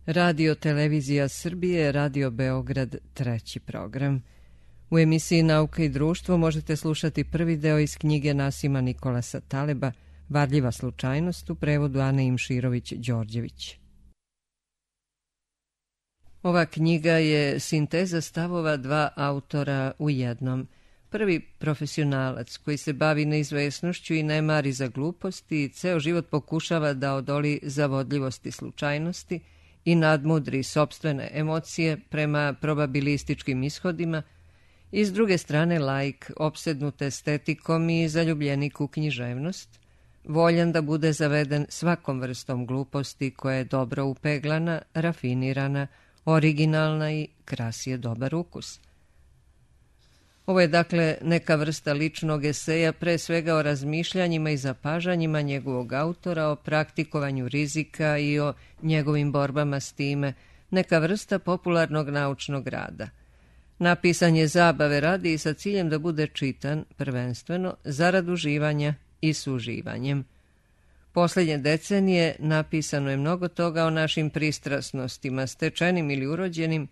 Radio Televizija Srbije, Radio Beograd, treći program. U emisiji Nauka i društvo možete slušati prvi deo iz knjige Nasima Nikolasa Taleba Varljiva slučajnost u prevodu Ane Imširović-Đorđević. Ova knjiga je sinteza stavova dva autora u jednom. Prvi profesionalac koji se bavi neizvesnošću i ne mari za gluposti i ceo život pokušava da odoli zavodljivosti slučajnosti i nadmudri sopstvene emocije prema probabilističkim ishodima, i s druge strane laik, opsednut estetikom i zaljubljenik u književnost, voljan da bude zaveden svakom vrstom gluposti koja je dobro upeglana, rafinirana, originalna i krasi je dobar ukus. Ovo je dakle neka vrsta ličnog eseja, pre svega o razmišljanjima i zapažanjima njegovog autora, o praktikovanju rizika i o njegovim borbama s time, neka vrsta popularnog naučnog rada. Napisan je zabave radi i sa ciljem da bude čitan, prvenstveno, zarad uživanja i suživanjem. Posljednje decenije napisano je mnogo toga o našim pristrasnostima, stečenim ili urođenim,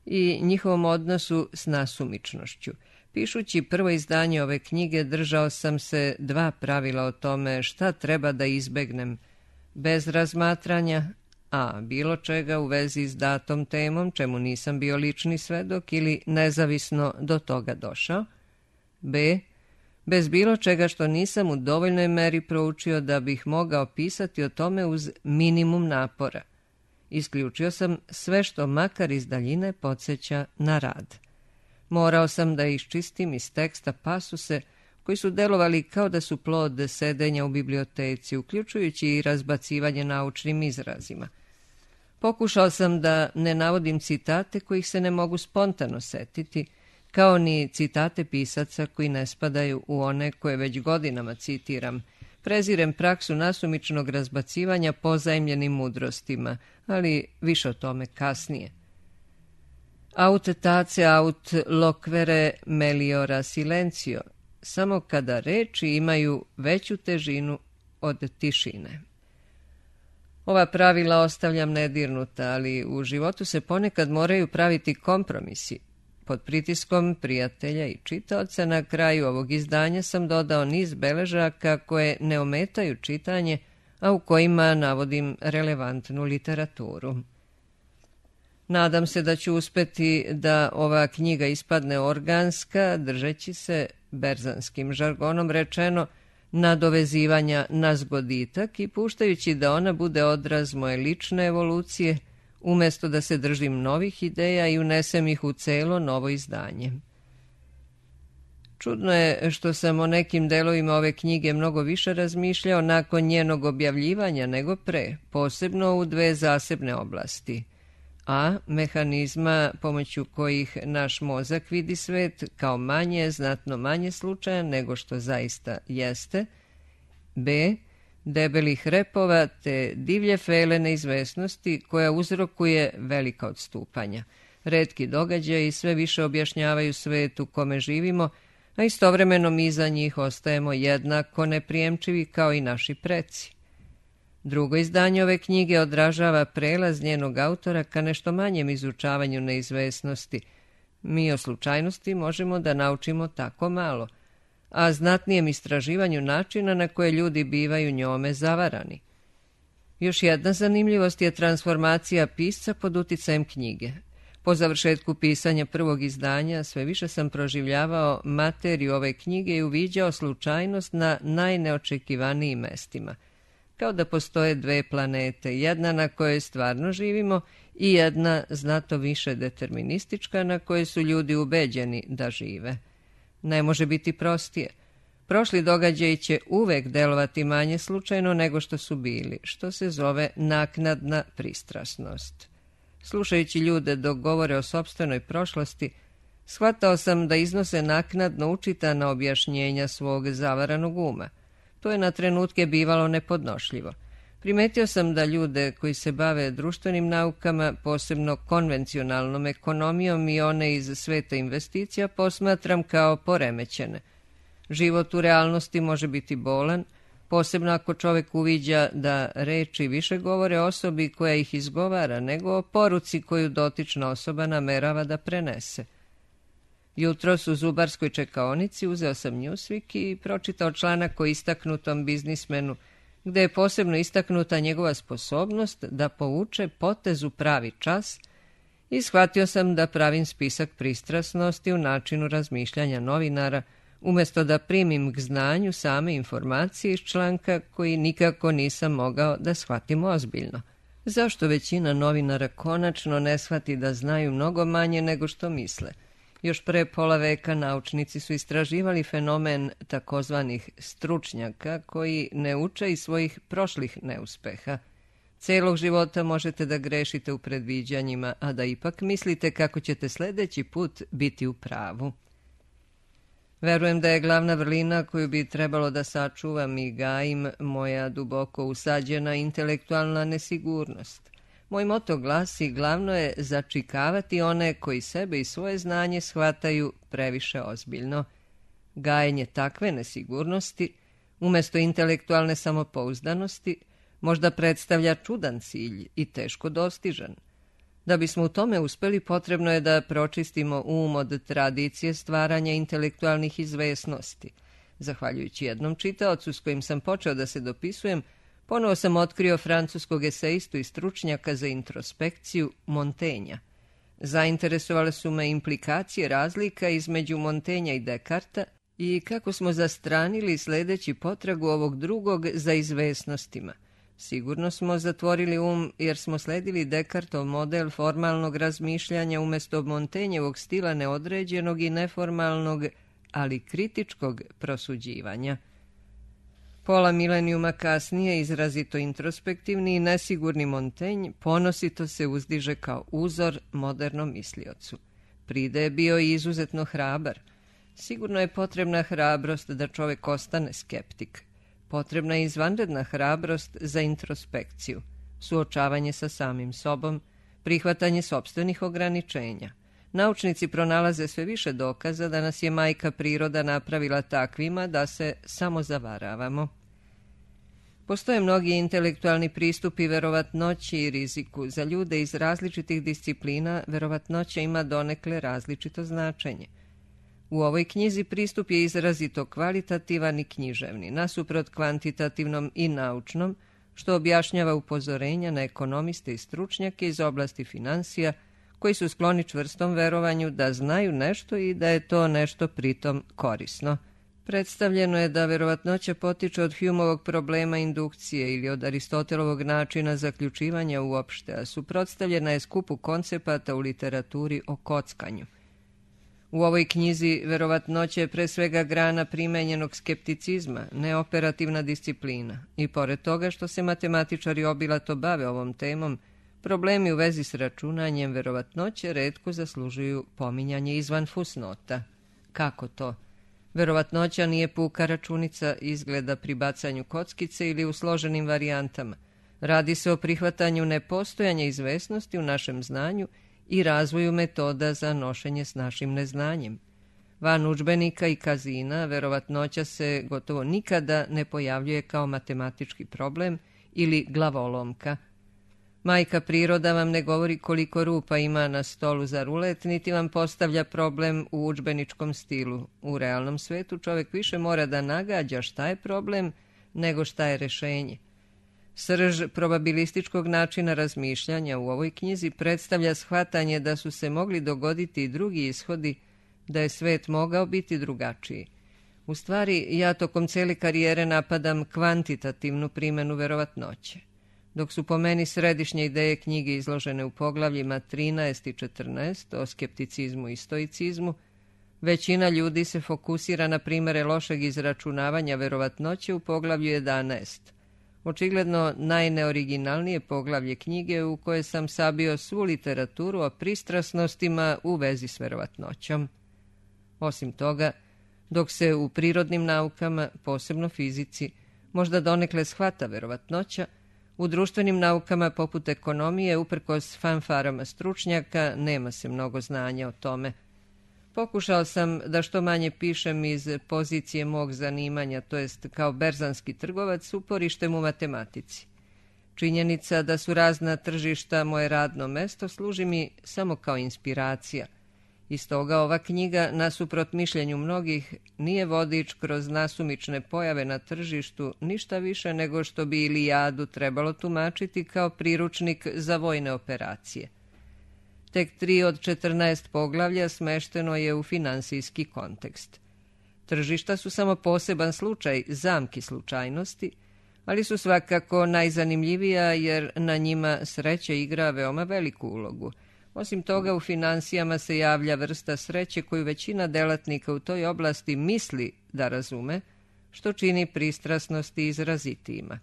i njihovom odnosu s nasumičnošću. Pišući prvo izdanje ove knjige držao sam se dva pravila o tome šta treba da izbegnem, bez razmatranja a. bilo čega u vezi s datom temom, čemu nisam bio lični svedok ili nezavisno do toga došao, b. bez bilo čega što nisam u dovoljnoj meri proučio da bih mogao pisati o tome uz minimum napora. Isključio sam sve što makar iz daljine podsjeća na rad. Morao sam da iščistim iz teksta pasuse koji su delovali kao da su plod sedenja u biblioteci, uključujući i razbacivanje naučnim izrazima. Pokušao sam da ne navodim citate kojih se ne mogu spontano setiti, kao ni citate pisaca koji ne spadaju u one koje već godinama citiram. Prezirem praksu nasumičnog razbacivanja pozajmljenim mudrostima, ali više o tome kasnije. Aut tace aut loquere meliora silencio, samo kada reči imaju veću težinu od tišine. Ova pravila ostavljam nedirnuta, ali u životu se ponekad moraju praviti kompromisi. Pod pritiskom prijatelja i čitaoca na kraju ovog izdanja sam dodao niz beležaka koje ne ometaju čitanje, a u kojima navodim relevantnu literaturu. Nadam se da ću uspeti da ova knjiga ispadne organska, držeći se, berzanskim žargonom rečeno, nadovezivanja na zgoditak i puštajući da ona bude odraz moje lične evolucije, umjesto da se držim novih ideja i unesem ih u celo novo izdanje. Čudno je što sam o nekim delovima ove knjige mnogo više razmišljao nakon njenog objavljivanja nego pre, posebno u dve zasebne oblasti. A. Mehanizma pomoću kojih naš mozak vidi svet kao znatno manje slučajan nego što zaista jeste. B. Debelih repova te divlje fele neizvesnosti koja uzrokuje velika odstupanja. Retki događaji sve više objašnjavaju svet u kome živimo, a istovremeno mi za njih ostajemo jednako neprijemčivi kao i naši preci. Drugo izdanje ove knjige odražava prelaz njenog autora ka nešto manjem izučavanju neizvesnosti. Mi o slučajnosti možemo da naučimo tako malo, a znatnijem istraživanju načina na koje ljudi bivaju njome zavarani. Još jedna zanimljivost je transformacija pisca pod uticajem knjige. Po završetku pisanja prvog izdanja sve više sam proživljavao materiju ove knjige i uviđao slučajnost na najneočekivanijim mestima. Kao da postoje dve planete, jedna na kojoj stvarno živimo i jedna znato više deterministička na kojoj su ljudi ubeđeni da žive. Ne može biti prostije. Prošli događaji će uvek delovati manje slučajno nego što su bili, što se zove naknadna pristrasnost. Slušajući ljude dok govore o sopstvenoj prošlosti, shvatao sam da iznose naknadno učitana objašnjenja svog zavaranog uma. To je na trenutke bivalo nepodnošljivo. Primetio sam da ljude koji se bave društvenim naukama, posebno konvencionalnom ekonomijom i one iz sveta investicija, posmatram kao poremećene. Život u realnosti može biti bolan, posebno ako čovjek uviđa da reči više govore o osobi koja ih izgovara nego o poruci koju dotična osoba namerava da prenese. Jutros u zubarskoj čekaonici uzeo sam Newsweek i pročitao članak o istaknutom biznismenu, gde je posebno istaknuta njegova sposobnost da povuče potez u pravi čas i shvatio sam da pravim spisak pristrasnosti u načinu razmišljanja novinara, umjesto da primim k znanju same informacije iz članka koji nikako nisam mogao da shvatim ozbiljno. Zašto većina novinara konačno ne shvati da znaju mnogo manje nego što misle? Još pre pola veka naučnici su istraživali fenomen takozvanih stručnjaka koji ne uče iz svojih prošlih neuspeha. Celog života možete da grešite u predviđanjima, a da ipak mislite kako ćete sljedeći put biti u pravu. Verujem da je glavna vrlina koju bi trebalo da sačuvam i gajim moja duboko usađena intelektualna nesigurnost. Moj moto glasi: glavno je začikavati one koji sebe i svoje znanje shvataju previše ozbiljno. Gajenje takve nesigurnosti, umjesto intelektualne samopouzdanosti, možda predstavlja čudan cilj i teško dostižan. Da bismo u tome uspeli, potrebno je da pročistimo od tradicije stvaranja intelektualnih izvesnosti. Zahvaljujući jednom čitaocu s kojim sam počeo da se dopisujem, ponovo sam otkrio francuskog eseistu i stručnjaka za introspekciju Montaigna. Zainteresovale su me implikacije razlika između Montaigna i Descartesa i kako smo zastranili sledeći potragu ovog drugog za izvesnostima. Sigurno smo zatvorili jer smo sledili Descartov model formalnog razmišljanja umjesto Montaignovog stila neodređenog i neformalnog, ali kritičkog prosuđivanja. Pola milenijuma kasnije, izrazito introspektivni i nesigurni Montaigne ponosito se uzdiže kao uzor modernom misliocu. Pride je bio i izuzetno hrabar. Sigurno je potrebna hrabrost da čovjek ostane skeptik. Potrebna je izvanredna hrabrost za introspekciju, suočavanje sa samim sobom, prihvatanje sopstvenih ograničenja. Naučnici pronalaze sve više dokaza da nas je majka priroda napravila takvima da se samo zavaravamo. Postoje mnogi intelektualni pristupi verovatnoći i riziku. Za ljude iz različitih disciplina verovatnoća ima donekle različito značenje. U ovoj knjizi pristup je izrazito kvalitativan i književni, nasuprot kvantitativnom i naučnom, što objašnjava upozorenja na ekonomiste i stručnjake iz oblasti finansija, koji su skloni čvrstom verovanju da znaju nešto i da je to nešto pritom korisno. Predstavljeno je da verovatnoća potiče od Humeovog problema indukcije ili od Aristotelovog načina zaključivanja uopšte, a suprotstavljena je skupu koncepata u literaturi o kockanju. U ovoj knjizi verovatnoća je pre svega grana primenjenog skepticizma, neoperativna disciplina, i pored toga što se matematičari obilato bave ovom temom, problemi u vezi s računanjem verovatnoće retko zaslužuju pominjanje izvan fusnota. Kako to? Verovatnoća nije puka računica izgleda pri bacanju kockice ili u složenim varijantama. Radi se o prihvatanju nepostojanja izvesnosti u našem znanju i razvoju metoda za nošenje s našim neznanjem. Van udžbenika i kazina verovatnoća se gotovo nikada ne pojavljuje kao matematički problem ili glavolomka. Majka priroda vam ne govori koliko rupa ima na stolu za rulet, niti vam postavlja problem u udžbeničkom stilu. U realnom svetu čovjek više mora da nagađa šta je problem nego šta je rešenje. Srž probabilističkog načina razmišljanja u ovoj knjizi predstavlja shvatanje da su se mogli dogoditi i drugi ishodi, da je svet mogao biti drugačiji. U stvari, ja tokom cele karijere napadam kvantitativnu primjenu verovatnoće. Dok su po meni središnje ideje knjige izložene u poglavljima 13 i 14 o skepticizmu i stoicizmu, većina ljudi se fokusira na primere lošeg izračunavanja verovatnoće u poglavlju 11. Očigledno najneoriginalnije poglavlje knjige u koje sam sabio svu literaturu o pristrasnostima u vezi s verovatnoćom. Osim toga, dok se u prirodnim naukama, posebno fizici, možda donekle shvata verovatnoća, u društvenim naukama poput ekonomije, uprkos fanfarama stručnjaka, nema se mnogo znanja o tome. Pokušao sam da što manje pišem iz pozicije mog zanimanja, to jest kao berzanski trgovac s uporištem u matematici. Činjenica da su razna tržišta moje radno mesto služi mi samo kao inspiracija. I stoga ova knjiga, nasuprot mišljenju mnogih, nije vodič kroz nasumične pojave na tržištu, ništa više nego što bi Ilijadu trebalo tumačiti kao priručnik za vojne operacije. Tek 3 od 14 poglavlja smešteno je u finansijski kontekst. Tržišta su samo poseban slučaj zamki slučajnosti, ali su svakako najzanimljivija jer na njima sreća igra veoma veliku ulogu. Osim toga, u finansijama se javlja vrsta sreće koju većina delatnika u toj oblasti misli da razume, što čini pristrasnosti izrazitijima.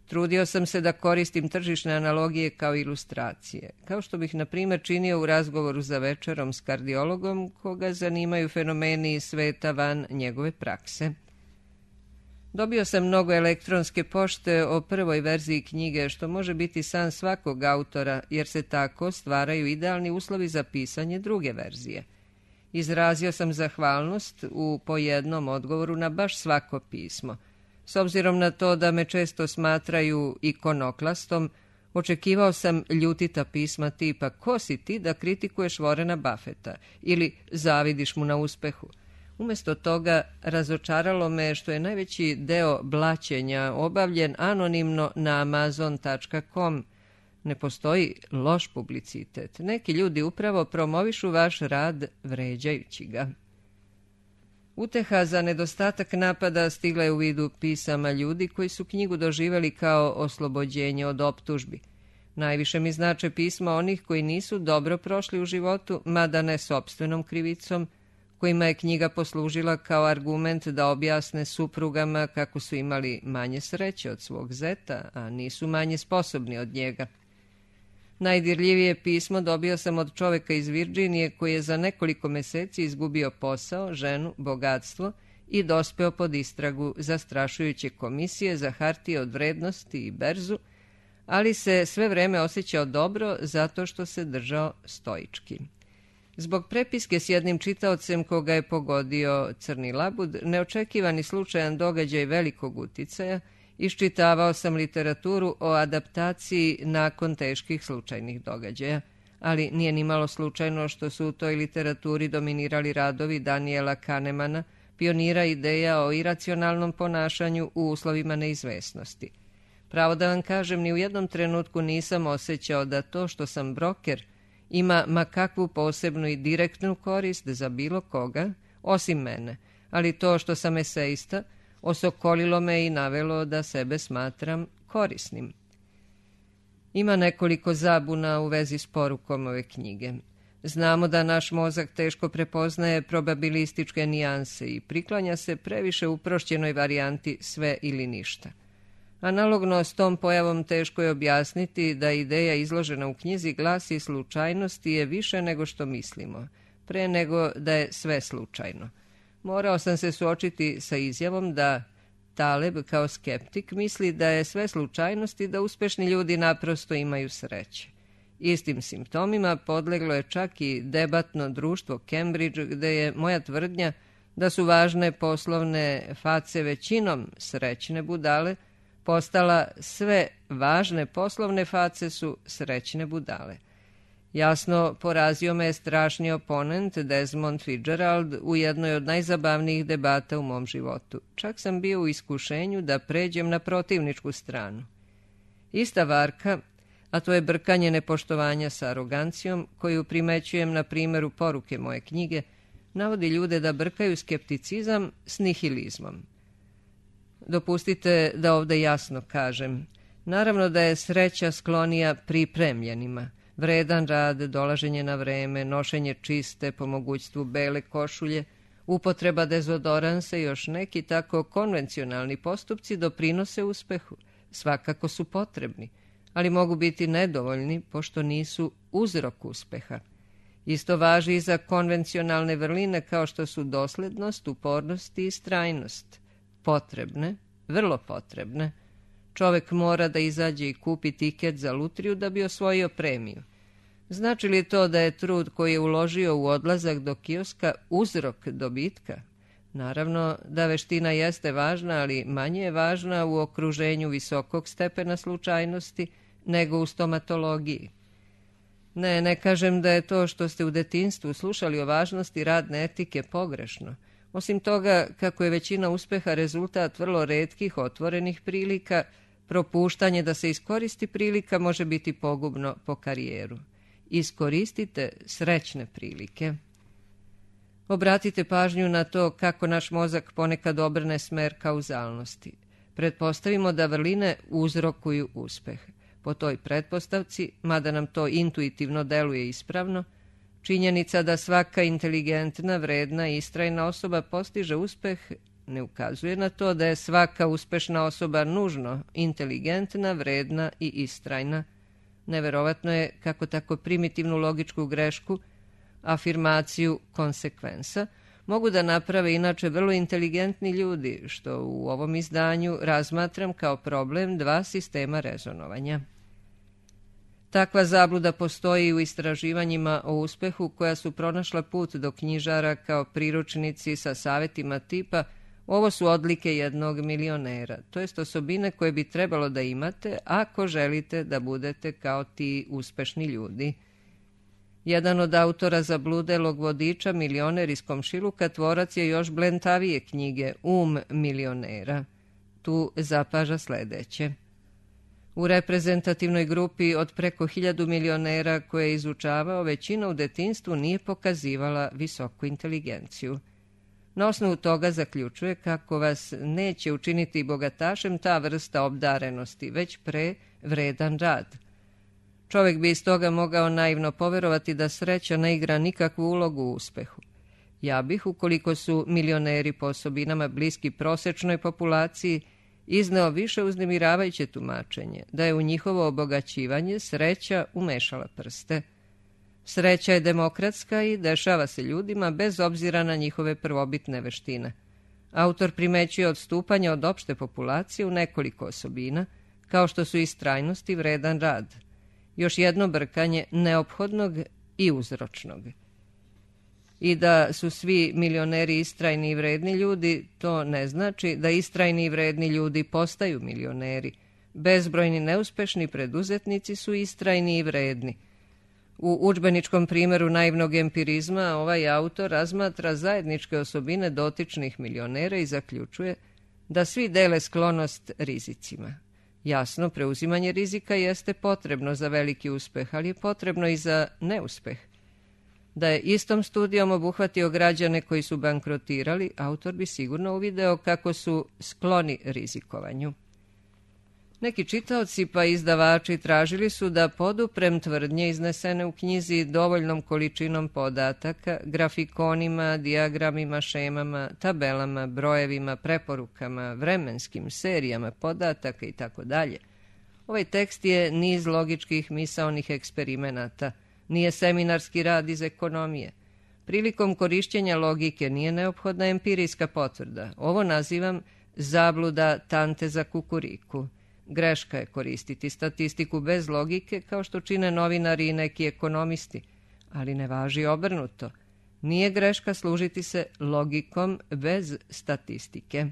Trudio sam se da koristim tržišne analogije kao ilustracije, kao što bih, na primjer, činio u razgovoru za večerom s kardiologom koga zanimaju fenomeni iz sveta van njegove prakse. Dobio sam mnogo elektronske pošte o prvoj verziji knjige, što može biti san svakog autora, jer se tako stvaraju idealni uslovi za pisanje druge verzije. Izrazio sam zahvalnost u po jednom odgovoru na baš svako pismo. S obzirom na to da me često smatraju ikonoklastom, očekivao sam ljutita pisma tipa "Ko si ti da kritikuješ Warrena Buffetta?" ili "Zavidiš mu na uspehu." Umjesto toga razočaralo me što je najveći deo blaćenja obavljen anonimno na amazon.com. Ne postoji loš publicitet. Neki ljudi upravo promovišu vaš rad vređajući ga. Uteha za nedostatak napada stigla je u vidu pisama ljudi koji su knjigu doživjeli kao oslobođenje od optužbi. Najviše mi znače pisma onih koji nisu dobro prošli u životu, mada ne sopstvenom krivicom, kojima je knjiga poslužila kao argument da objasne suprugama kako su imali manje sreće od svog zeta, a nisu manje sposobni od njega. Najdirljivije pismo dobio sam od čoveka iz Virginije koji je za nekoliko meseci izgubio posao, ženu, bogatstvo i dospeo pod istragu zastrašujuće komisije za hartije od vrednosti i berzu, ali se sve vreme osjećao dobro zato što se držao stoički. Zbog prepiske s jednim čitaocem koga je pogodio crni labud, neočekivani slučajan događaj velikog uticaja, iščitavao sam literaturu o adaptaciji nakon teških slučajnih događaja, ali nije ni malo slučajno što su u toj literaturi dominirali radovi Daniela Kahnemana, pionira ideja o iracionalnom ponašanju u uslovima neizvesnosti. Pravo da vam kažem, ni u jednom trenutku nisam osjećao da to što sam broker ima ma kakvu posebnu i direktnu korist za bilo koga, osim mene, ali to što sam eseista osokolilo me i navelo da sebe smatram korisnim. Ima nekoliko zabuna u vezi s porukom ove knjige. Znamo da naš mozak teško prepoznaje probabilističke nijanse i priklanja se previše uprošćenoj varijanti sve ili ništa. Analogno s tom pojavom teško je objasniti da ideja izložena u knjizi glasi slučajnosti je više nego što mislimo, pre nego da je sve slučajno. Morao sam se suočiti sa izjavom da Taleb kao skeptik misli da je sve slučajnost i da uspešni ljudi naprosto imaju sreće. Istim simptomima podleglo je čak i debatno društvo Cambridge, gde je moja tvrdnja da su važne poslovne face većinom srećne budale postala sve važne poslovne face su srećne budale. Jasno, porazio me je strašni oponent Desmond Fitzgerald u jednoj od najzabavnijih debata u mom životu. Čak sam bio u iskušenju da pređem na protivničku stranu. Ista varka, a to je brkanje nepoštovanja sa arogancijom, koju primećujem na primjeru poruke moje knjige, navodi ljude da brkaju skepticizam s nihilizmom. Dopustite da ovdje jasno kažem. Naravno da je sreća sklonija pripremljenima. Vredan rad, dolaženje na vreme, nošenje čiste, po mogućstvu bele košulje, upotreba dezodoransa i još neki tako konvencionalni postupci doprinose uspehu. Svakako su potrebni, ali mogu biti nedovoljni pošto nisu uzrok uspeha. Isto važi i za konvencionalne vrline kao što su doslednost, upornost i istrajnost. Potrebne, vrlo potrebne. Čovek mora da izađe i kupi tiket za lutriju da bi osvojio premiju. Znači li to da je trud koji je uložio u odlazak do kioska uzrok dobitka? Naravno da veština jeste važna, ali manje je važna u okruženju visokog stepena slučajnosti nego u stomatologiji. Ne kažem da je to što ste u detinjstvu slušali o važnosti radne etike pogrešno. Osim toga, kako je većina uspeha rezultat vrlo retkih otvorenih prilika, propuštanje da se iskoristi prilika može biti pogubno po karijeru. Iskoristite srećne prilike. Obratite pažnju na to kako naš mozak ponekad obrne smer kauzalnosti. Pretpostavimo da vrline uzrokuju uspeh. Po toj pretpostavci, mada nam to intuitivno deluje ispravno, činjenica da svaka inteligentna, vredna i istrajna osoba postiže uspeh ne ukazuje na to da je svaka uspešna osoba nužno inteligentna, vredna i istrajna. Neverovatno je kako tako primitivnu logičku grešku, afirmaciju konsekvensa, mogu da naprave inače vrlo inteligentni ljudi, što u ovom izdanju razmatram kao problem dva sistema rezonovanja. Takva zabluda postoji u istraživanjima o uspehu koja su pronašla put do knjižara kao priručnici sa savjetima tipa ovo su odlike jednog milionera, to jest osobine koje bi trebalo da imate ako želite da budete kao ti uspešni ljudi. Jedan od autora zabludelog vodiča Milioner iz komšiluka tvorac je još blentavije knjige milionera. Tu zapaža sledeće. U reprezentativnoj grupi od preko 1000 milionera koje je izučavao, većina u detinjstvu nije pokazivala visoku inteligenciju. Na osnovu toga zaključuje kako vas neće učiniti bogatašem ta vrsta obdarenosti, već pre vredan rad. Čovjek bi iz toga mogao naivno poverovati da sreća ne igra nikakvu ulogu u uspehu. Ja bih, ukoliko su milioneri po osobinama bliski prosečnoj populaciji, izneo više uznemiravajuće tumačenje, da je u njihovo obogaćivanje sreća umešala prste. Sreća je demokratska i dešava se ljudima bez obzira na njihove prvobitne veštine. Autor primećuje odstupanja od opšte populacije u nekoliko osobina, kao što su istrajnost i vredan rad. Još jedno brkanje neophodnog i uzročnog. I da su svi milioneri istrajni i vredni ljudi, to ne znači da istrajni i vredni ljudi postaju milioneri. Bezbrojni neuspešni preduzetnici su istrajni i vredni. U udžbeničkom primjeru naivnog empirizma ovaj autor razmatra zajedničke osobine dotičnih milionera i zaključuje da svi dele sklonost rizicima. Jasno, preuzimanje rizika jeste potrebno za veliki uspeh, ali je potrebno i za neuspeh. Da je istom studijom obuhvatio građane koji su bankrotirali, autor bi sigurno uvideo kako su skloni rizikovanju. Neki čitaoci pa izdavači tražili su da poduprem tvrdnje iznesene u knjizi dovoljnom količinom podataka, grafikonima, dijagramima, šemama, tabelama, brojevima, preporukama, vremenskim serijama podataka itd. Ovaj tekst je niz logičkih misaonih eksperimenata, nije seminarski rad iz ekonomije. Prilikom korišćenja logike nije neophodna empirijska potvrda. Ovo nazivam zabluda tante za kukuriku. Greška je koristiti statistiku bez logike kao što čine novinari i neki ekonomisti, ali ne važi obrnuto. Nije greška služiti se logikom bez statistike.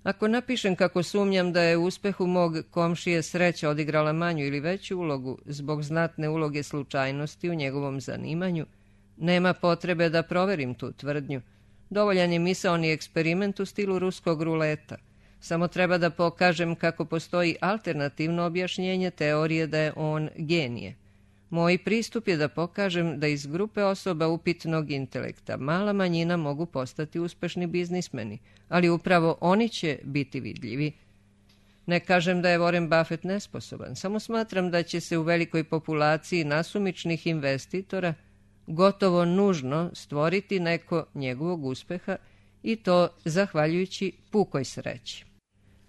Ako napišem kako sumnjam da je u uspehu mog komšije sreća odigrala manju ili veću ulogu zbog znatne uloge slučajnosti u njegovom zanimanju, nema potrebe da proverim tu tvrdnju. Dovoljan je misaoni eksperiment u stilu ruskog ruleta. Samo treba da pokažem kako postoji alternativno objašnjenje teorije da je on genije. Moj pristup je da pokažem da iz grupe osoba upitnog intelekta mala manjina mogu postati uspešni biznismeni, ali upravo oni će biti vidljivi. Ne kažem da je Warren Buffett nesposoban, samo smatram da će se u velikoj populaciji nasumičnih investitora gotovo nužno stvoriti neko njegovog uspeha i to zahvaljujući pukoj sreći.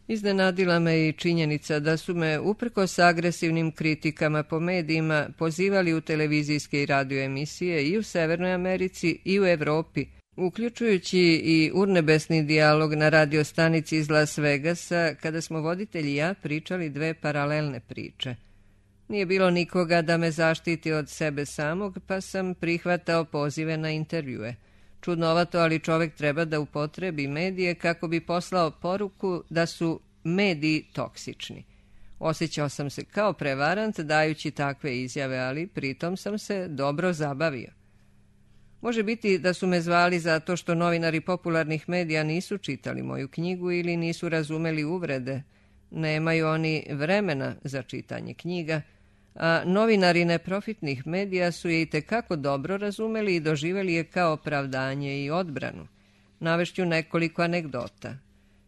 Iznenadila me i činjenica da su me, uprkos agresivnim kritikama po medijima, pozivali u televizijske i radio emisije i u Severnoj Americi i u Evropi, uključujući i urnebesni dijalog na radiostanici iz Las Vegasa, kada smo voditelji i ja pričali dve paralelne priče. Nije bilo nikoga da me zaštiti od sebe samog, pa sam prihvatao pozive na intervjue. Čudnovato, ali čovjek treba da upotrebi medije kako bi poslao poruku da su mediji toksični. Osjećao sam se kao prevarant dajući takve izjave, ali pritom sam se dobro zabavio. Može biti da su me zvali zato što novinari popularnih medija nisu čitali moju knjigu ili nisu razumeli uvrede. Nemaju oni vremena za čitanje knjiga, a novinari neprofitnih medija su je itekako dobro razumeli i doživjeli je kao opravdanje i odbranu. Navešću nekoliko anegdota.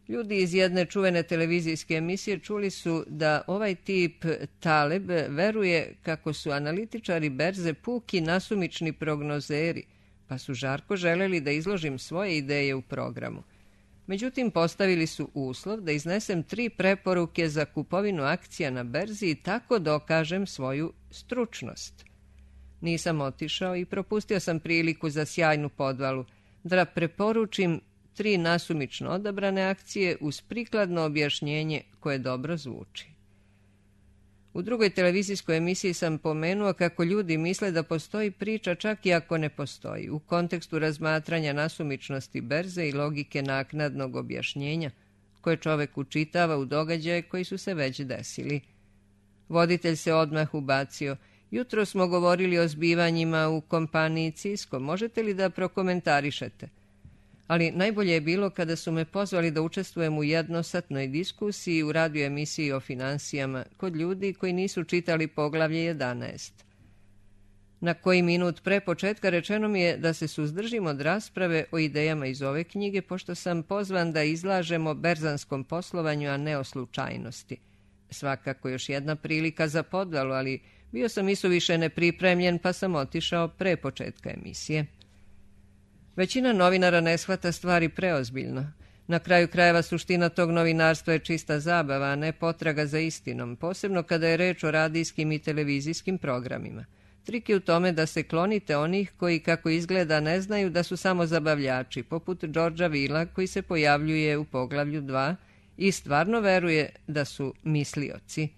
Ljudi iz jedne čuvene televizijske emisije čuli su da ovaj tip Taleb veruje kako su analitičari berze puki nasumični prognozeri, pa su žarko želeli da izložim svoje ideje u programu. Međutim, postavili su uslov da iznesem 3 preporuke za kupovinu akcija na berzi i tako dokažem svoju stručnost. Nisam otišao i propustio sam priliku za sjajnu podvalu da preporučim 3 nasumično odabrane akcije uz prikladno objašnjenje koje dobro zvuči. U drugoj televizijskoj emisiji sam pomenuo kako ljudi misle da postoji priča čak i ako ne postoji, u kontekstu razmatranja nasumičnosti berze i logike naknadnog objašnjenja koje čovek učitava u događaje koji su se već desili. Voditelj se odmah ubacio. Jutro smo govorili o zbivanjima u kompaniji Cisco. Možete li da prokomentarišete? Ali najbolje je bilo kada su me pozvali da učestvujem u jednosatnoj diskusiji u radio emisiji o finansijama kod ljudi koji nisu čitali poglavlje 11. Na koji minut pre početka rečeno mi je da se suzdržim od rasprave o idejama iz ove knjige, pošto sam pozvan da izlažem o berzanskom poslovanju, a ne o slučajnosti. Svakako još jedna prilika za podvalu, ali bio sam isuviše nepripremljen, pa sam otišao pre početka emisije. Većina novinara ne shvata stvari preozbiljno. Na kraju krajeva suština tog novinarstva je čista zabava, a ne potraga za istinom, posebno kada je reč o radijskim i televizijskim programima. Trik je u tome da se klonite onih koji, kako izgleda, ne znaju da su samo zabavljači, poput Georgea Villa koji se pojavljuje u poglavlju 2 i stvarno veruje da su mislioci.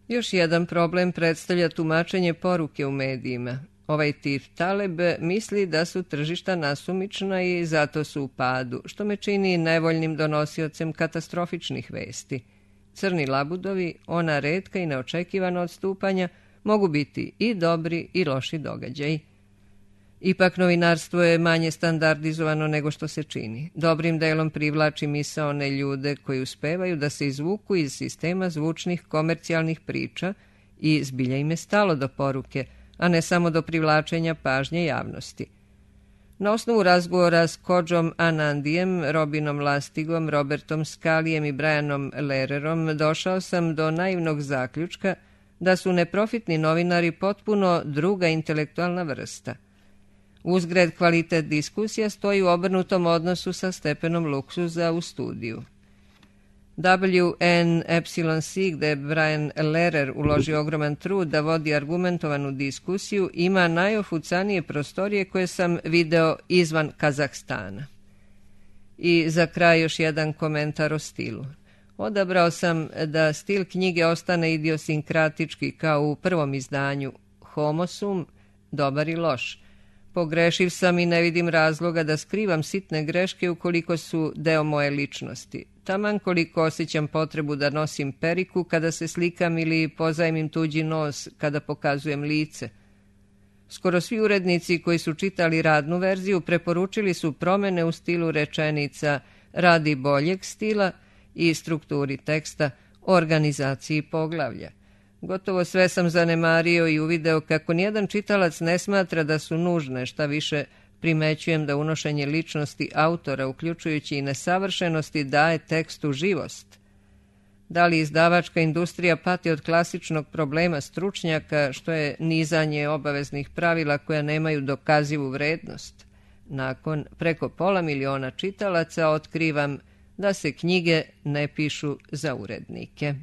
Još jedan problem predstavlja tumačenje poruke u medijima. Ovaj tip Taleb misli da su tržišta nasumična i zato su u padu, što me čini nevoljnim donosiocem katastrofičnih vesti. Crni labudovi, ona retka i neočekivana odstupanja, mogu biti i dobri i loši događaji. Ipak novinarstvo je manje standardizovano nego što se čini. Dobrim delom privlači misaone ljude koji uspevaju da se izvuku iz sistema zvučnih komercijalnih priča i zbilja im je stalo do poruke, a ne samo do privlačenja pažnje javnosti. Na osnovu razgovora s Kodžom Anandijem, Robinom Lastigom, Robertom Skalijem i Brianom Lehrerom došao sam do naivnog zaključka da su neprofitni novinari potpuno druga intelektualna vrsta. Uzgred, kvalitet diskusija stoji u obrnutom odnosu sa stepenom luksuza u studiju. WNY, gde je Brian Lehrer uložio ogroman trud da vodi argumentovanu diskusiju, ima najofucanije prostorije koje sam video izvan Kazahstana. I za kraj još jedan komentar o stilu. Odabrao sam da stil knjige ostane idiosinkratički kao u prvom izdanju Homo sum, dobar i loš. Pogrešiv sam i ne vidim razloga da skrivam sitne greške ukoliko su deo moje ličnosti. Taman koliko osjećam potrebu da nosim periku kada se slikam ili pozajmim tuđi nos kada pokazujem lice. Skoro svi urednici koji su čitali radnu verziju preporučili su promene u stilu rečenica radi boljeg stila i strukturi teksta, organizaciji poglavlja. Gotovo sve sam zanemario i uvideo kako nijedan čitalac ne smatra da su nužne, šta više primećujem da unošenje ličnosti autora, uključujući i nesavršenosti, daje tekstu živost. Da li izdavačka industrija pati od klasičnog problema stručnjaka, što je nizanje obaveznih pravila koja nemaju dokazivu vrednost? Nakon preko 500 miliona čitalaca otkrivam da se knjige ne pišu za urednike.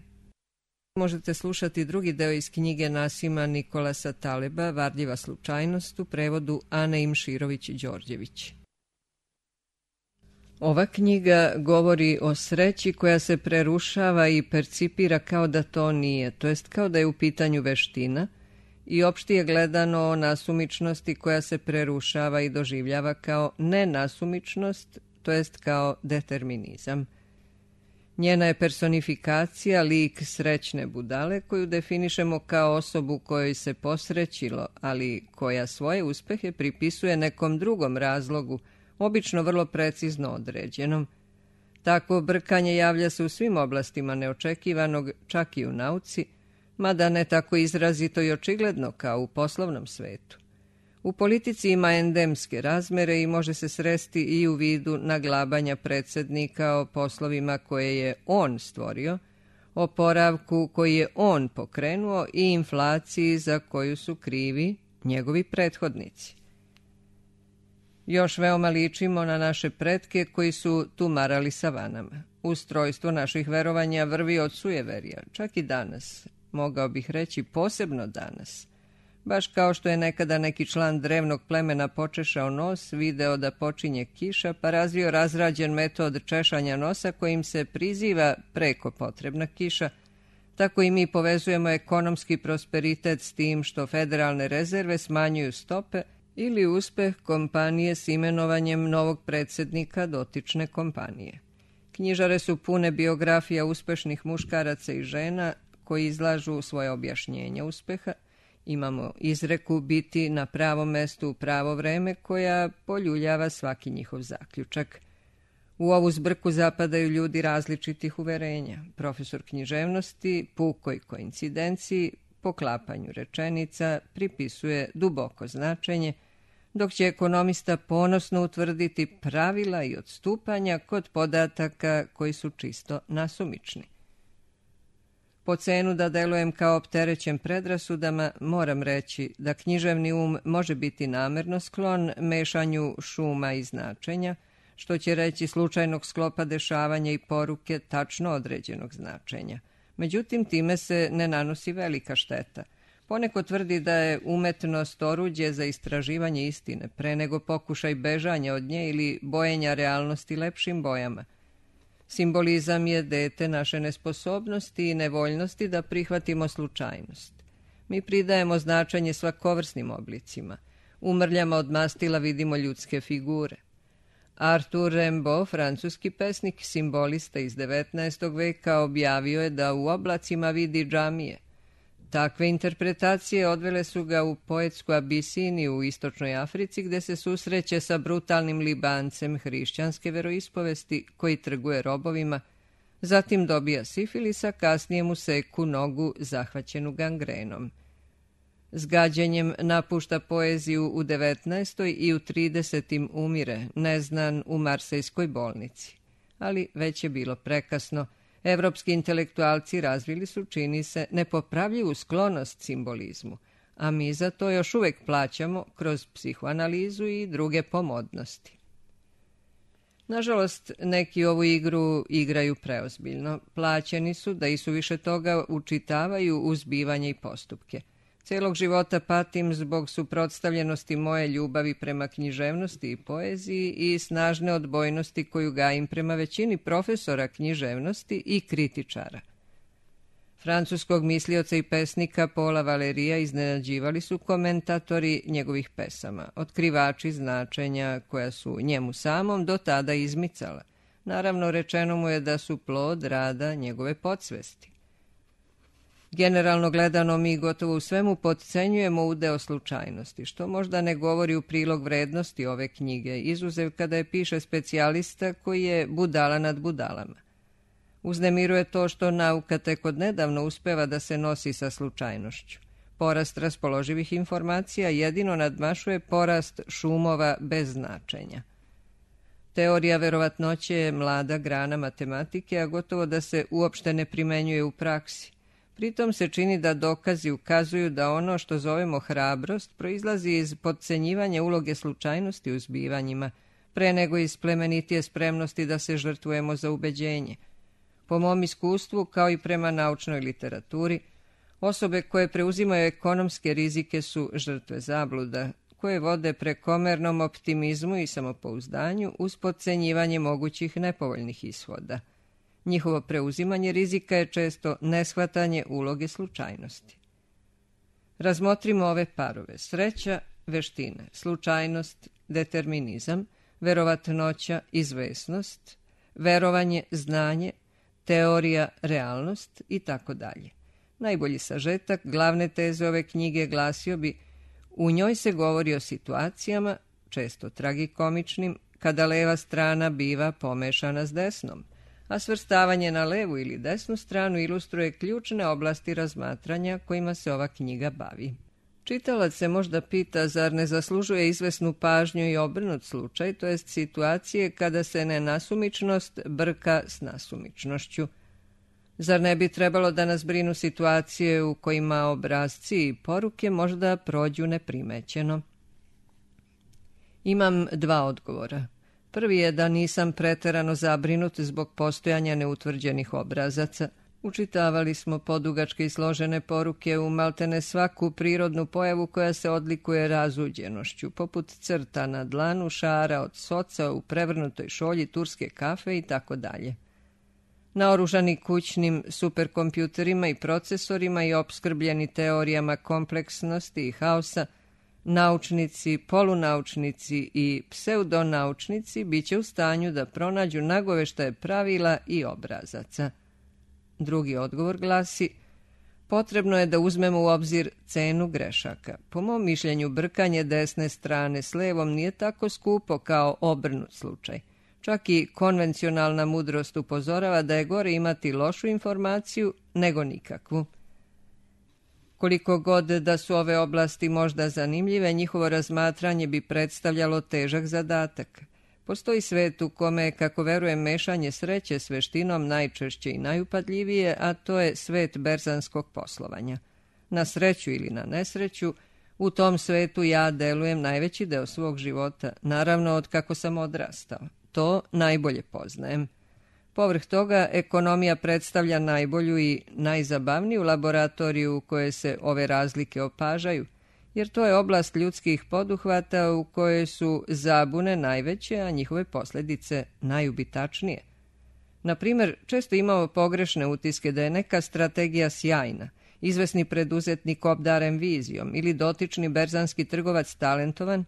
Možete slušati drugi deo iz knjige Nasima Nikolasa Taleba, Varljiva slučajnost, u prevodu Ane Imširović-Đorđević. Ova knjiga govori o sreći koja se prerušava i percipira kao da to nije, to jest kao da je u pitanju veština, i opštije gledano o nasumičnosti koja se prerušava i doživljava kao nenasumičnost, to jest kao determinizam. Njena je personifikacija lik srećne budale koju definišemo kao osobu kojoj se posrećilo, ali koja svoje uspehe pripisuje nekom drugom razlogu, obično vrlo precizno određenom. Takvo brkanje javlja se u svim oblastima neočekivanog, čak i u nauci, mada ne tako izrazito i očigledno kao u poslovnom svetu. U politici ima endemske razmere i može se sresti i u vidu naglabanja predsjednika o poslovima koje je on stvorio, oporavku koji je on pokrenuo i inflaciji za koju su krivi njegovi prethodnici. Još veoma ličimo na naše pretke koji su tumarali savanama. Ustrojstvo naših verovanja vrvi od sujeverja, čak i danas, mogao bih reći posebno danas. Baš kao što je nekada neki član drevnog plemena počešao nos, video da počinje kiša, pa razvio razrađen metod češanja nosa kojim se priziva preko potrebna kiša, tako i mi povezujemo ekonomski prosperitet s tim što federalne rezerve smanjuju stope ili uspeh kompanije s imenovanjem novog predsjednika dotične kompanije. Knjižare su pune biografija uspešnih muškaraca i žena koji izlažu svoje objašnjenja uspeha. Imamo izreku biti na pravom mestu u pravo vreme koja poljuljava svaki njihov zaključak. U ovu zbrku zapadaju ljudi različitih uverenja. Profesor književnosti pukoj koincidenciji, poklapanju rečenica, pripisuje duboko značenje, dok će ekonomista ponosno utvrditi pravila i odstupanja kod podataka koji su čisto nasumični. Po cenu da delujem kao opterećen predrasudama, moram reći da književni može biti namerno sklon mešanju šuma i značenja, što će reći slučajnog sklopa dešavanja i poruke tačno određenog značenja. Međutim, time se ne nanosi velika šteta. Poneko tvrdi da je umetnost oruđe za istraživanje istine, pre nego pokušaj bežanja od nje ili bojenja realnosti lepšim bojama. Simbolizam je dete naše nesposobnosti i nevoljnosti da prihvatimo slučajnost. Mi pridajemo značenje svakovrsnim oblicima. U mrljama od mastila vidimo ljudske figure. Arthur Rimbaud, francuski pesnik, simbolista iz 19. veka, objavio je da u oblacima vidi džamije. Takve interpretacije odvele su ga u poetsku Abisiniju u istočnoj Africi, gde se susreće sa brutalnim Libancem hrišćanske veroispovesti koji trguje robovima, zatim dobija sifilisa, kasnije mu seku nogu zahvaćenu gangrenom. S gađenjem napušta poeziju u 19. i u 30. umire, neznan u Marsejskoj bolnici. Ali već je bilo prekasno. Evropski intelektualci razvili su, čini se, nepopravljivu sklonost simbolizmu, a mi za to još uvek plaćamo kroz psihoanalizu i druge pomodnosti. Nažalost, neki ovu igru igraju preozbiljno. Plaćeni su da i suviše toga učitavaju uzbivanje i postupke. Celog života patim zbog suprotstavljenosti moje ljubavi prema književnosti i poeziji i snažne odbojnosti koju gajim prema većini profesora književnosti i kritičara. Francuskog mislioca i pesnika Paula Valerija iznenađivali su komentatori njegovih pesama, otkrivači značenja koja su njemu samom do tada izmicala. Naravno, rečeno mu je da su plod rada njegove podsvesti. Generalno gledano, mi gotovo u svemu potcenjujemo udeo slučajnosti, što možda ne govori u prilog vrednosti ove knjige, izuzev kada je piše specijalista koji je budala nad budalama. Uznemiruje to što nauka tek odnedavno uspeva da se nosi sa slučajnošću. Porast raspoloživih informacija jedino nadmašuje porast šumova bez značenja. Teorija verovatnoće je mlada grana matematike, a gotovo da se uopšte ne primenjuje u praksi. Pritom se čini da dokazi ukazuju da ono što zovemo hrabrost proizlazi iz potcenjivanja uloge slučajnosti u zbivanjima, pre nego iz plemenitije spremnosti da se žrtvujemo za ubeđenje. Po mom iskustvu, kao i prema naučnoj literaturi, osobe koje preuzimaju ekonomske rizike su žrtve zabluda, koje vode prekomernom optimizmu i samopouzdanju uz podcenjivanje mogućih nepovoljnih ishoda. Njihovo preuzimanje rizika je često neshvatanje uloge slučajnosti. Razmotrimo ove parove: sreća, veštine, slučajnost, determinizam, verovatnoća, izvesnost, verovanje, znanje, teorija, realnost i tako dalje. Najbolji sažetak glavne teze ove knjige glasio bi: u njoj se govori o situacijama, često tragikomičnim, kada leva strana biva pomešana s desnom, a svrstavanje na levu ili desnu stranu ilustruje ključne oblasti razmatranja kojima se ova knjiga bavi. Čitalac se možda pita, zar ne zaslužuje izvesnu pažnju i obrnut slučaj, to jest situacije kada se nenasumičnost brka s nasumičnošću. Zar ne bi trebalo da nas brinu situacije u kojima obrasci i poruke možda prođu neprimećeno? Imam dva odgovora. Prvi je da nisam preterano zabrinut zbog postojanja neutvrđenih obrazaca. Učitavali smo podugačke i složene poruke u maltene svaku prirodnu pojavu koja se odlikuje razuđenošću, poput crta na dlanu, šara od soca u prevrnutoj šolji turske kafe i tako dalje. Naoružani kućnim superkompjuterima i procesorima i opskrbljeni teorijama kompleksnosti i haosa, naučnici, polunaučnici i pseudonaučnici bit će u stanju da pronađu nagoveštaje pravila i obrazaca. Drugi odgovor glasi: potrebno je da uzmemo u obzir cenu grešaka. Po mom mišljenju, brkanje desne strane s levom nije tako skupo kao obrnut slučaj. Čak i konvencionalna mudrost upozorava da je gore imati lošu informaciju nego nikakvu. Koliko god da su ove oblasti možda zanimljive, njihovo razmatranje bi predstavljalo težak zadatak. Postoji svet u kome, kako verujem, mešanje sreće s veštinom najčešće i najupadljivije, a to je svet berzanskog poslovanja. Na sreću ili na nesreću, u tom svetu ja delujem najveći deo svog života, naravno od kako sam odrastao. To najbolje poznajem. Povrh toga, ekonomija predstavlja najbolju i najzabavniju laboratoriju u kojoj se ove razlike opažaju, jer to je oblast ljudskih poduhvata u kojoj su zabune najveće, a njihove posljedice najubitačnije. Na primjer, često imamo pogrešne utiske da je neka strategija sjajna, izvesni preduzetnik obdaren vizijom ili dotični berzanski trgovac talentovan,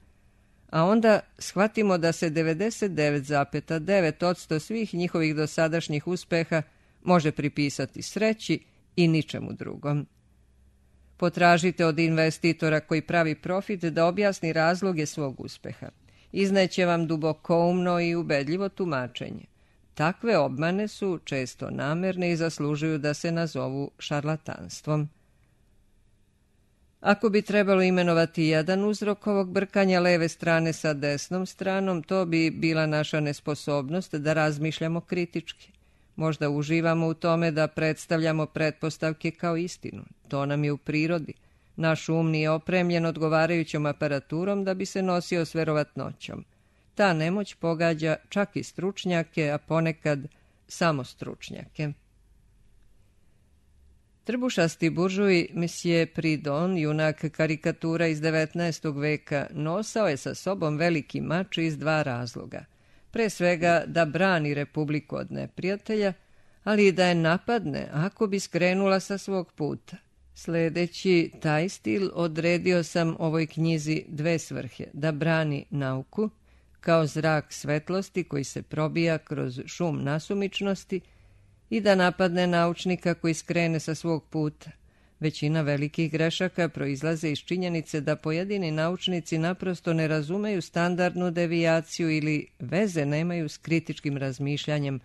a onda shvatimo da se 99,9% svih njihovih dosadašnjih uspeha može pripisati sreći i ničemu drugom. Potražite od investitora koji pravi profit da objasni razloge svog uspeha. Izneće vam dubokoumno i ubedljivo tumačenje. Takve obmane su često namerne i zaslužuju da se nazovu šarlatanstvom. Ako bi trebalo imenovati jedan uzrok ovog brkanja leve strane sa desnom stranom, to bi bila naša nesposobnost da razmišljamo kritički. Možda uživamo u tome da predstavljamo pretpostavke kao istinu. To nam je u prirodi. Naš um nije opremljen odgovarajućom aparaturom da bi se nosio s verovatnoćom. Ta nemoć pogađa čak i stručnjake, a ponekad samo stručnjake. Trbušasti buržuj Monsieur Pridon, junak karikatura iz 19. veka, nosao je sa sobom veliki mač iz dva razloga. Pre svega da brani republiku od neprijatelja, ali i da je napadne ako bi skrenula sa svog puta. Sledeći taj stil odredio sam ovoj knjizi dve svrhe: da brani nauku, kao zrak svetlosti koji se probija kroz šum nasumičnosti, i da napadne naučnika koji skrene sa svog puta. Većina velikih grešaka proizlaze iz činjenice da pojedini naučnici naprosto ne razumeju standardnu devijaciju ili veze nemaju s kritičkim razmišljanjem,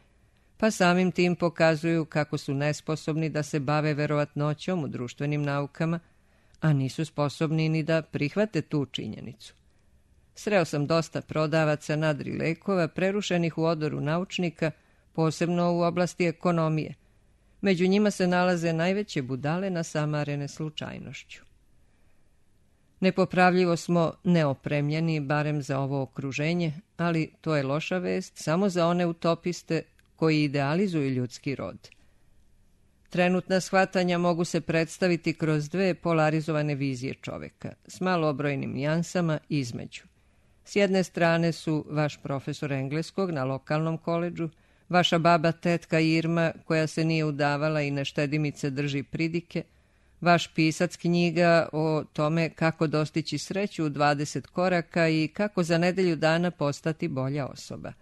pa samim tim pokazuju kako su nesposobni da se bave verovatnoćom u društvenim naukama, a nisu sposobni ni da prihvate tu činjenicu. Sreo sam dosta prodavaca nadri lekova prerušenih u odoru naučnika, posebno u oblasti ekonomije. Među njima se nalaze najveće budale nasamarene slučajnošću. Nepopravljivo smo neopremljeni, barem za ovo okruženje, ali to je loša vest samo za one utopiste koji idealizuju ljudski rod. Trenutna shvatanja mogu se predstaviti kroz dve polarizovane vizije čoveka, s malobrojnim nijansama između. S jedne strane su vaš profesor engleskog na lokalnom koledžu, vaša baba tetka Irma koja se nije udavala i neštedimice drži pridike, vaš pisac knjiga o tome kako dostići sreću u 20 koraka i kako za nedelju dana postati bolja osoba.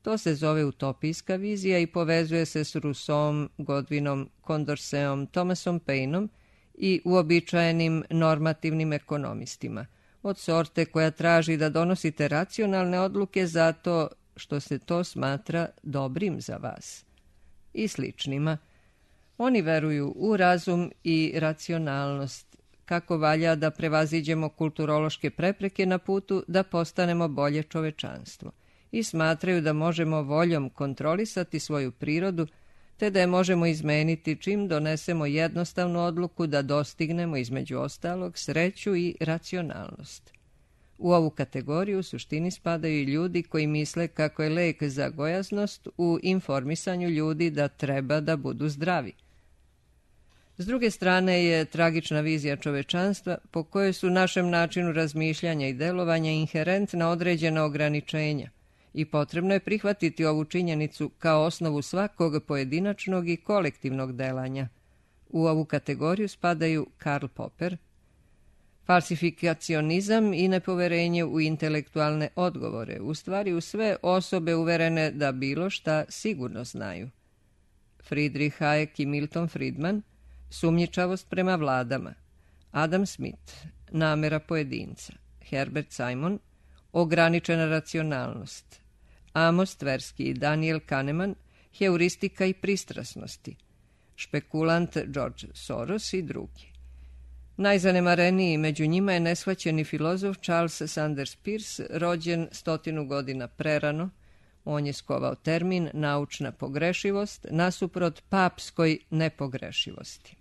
To se zove utopijska vizija i povezuje se s Rousseauom, Godwinom, Condorcetom, Thomasom Paineom i uobičajenim normativnim ekonomistima, od sorte koja traži da donosite racionalne odluke zato što se to smatra dobrim za vas. I sličnima. Oni veruju u razum i racionalnost, kako valja da prevaziđemo kulturološke prepreke na putu da postanemo bolje čovečanstvo, i smatraju da možemo voljom kontrolisati svoju prirodu, te da je možemo izmeniti čim donesemo jednostavnu odluku da dostignemo između ostalog sreću i racionalnost. U ovu kategoriju u suštini spadaju i ljudi koji misle kako je lek za gojaznost u informisanju ljudi da treba da budu zdravi. S druge strane je tragična vizija čovečanstva po kojoj su našem načinu razmišljanja i delovanja inherentna određena ograničenja i potrebno je prihvatiti ovu činjenicu kao osnovu svakog pojedinačnog i kolektivnog delanja. U ovu kategoriju spadaju Karl Popper, falsifikacionizam i nepoverenje u intelektualne odgovore, u stvari u sve osobe uverene da bilo šta sigurno znaju. Friedrich Hayek i Milton Friedman, sumnjičavost prema vladama. Adam Smith, namera pojedinca. Herbert Simon, ograničena racionalnost. Amos Tversky i Daniel Kahneman, heuristika i pristrasnosti. Špekulant George Soros i drugi. Najzanemareniji među njima je neshvaćeni filozof Charles Sanders Peirce, rođen 100 godina prerano. On je skovao termin naučna pogrešivost nasuprot papskoj nepogrešivosti.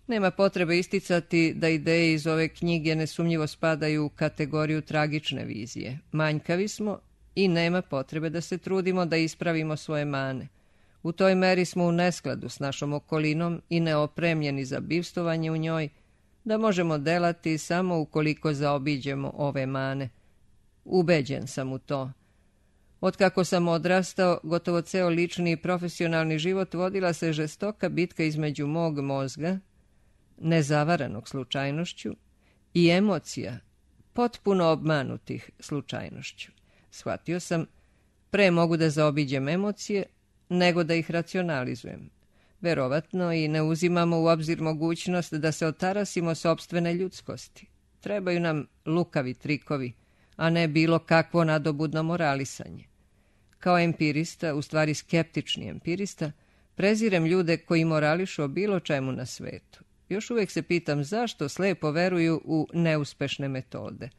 Nema potrebe isticati da ideje iz ove knjige nesumnjivo spadaju u kategoriju tragične vizije. Manjkavi smo i nema potrebe da se trudimo da ispravimo svoje mane. U toj meri smo u neskladu s našom okolinom i neopremljeni za bivstovanje u njoj, da možemo delati samo ukoliko zaobiđemo ove mane. Ubeđen sam u to. Otkako sam odrastao, gotovo ceo lični i profesionalni život vodila se žestoka bitka između mog mozga, nezavaranog slučajnošću, i emocija, potpuno obmanutih slučajnošću. Shvatio sam, pre mogu da zaobiđem emocije, nego da ih racionalizujem. Verovatno i ne uzimamo u obzir mogućnost da se otarasimo sopstvene ljudskosti. Trebaju nam lukavi trikovi, a ne bilo kakvo nadobudno moralisanje. Kao empirista, u stvari skeptični empirista, prezirem ljude koji morališu o bilo čemu na svetu. Još uvijek se pitam zašto slepo veruju u neuspešne metode.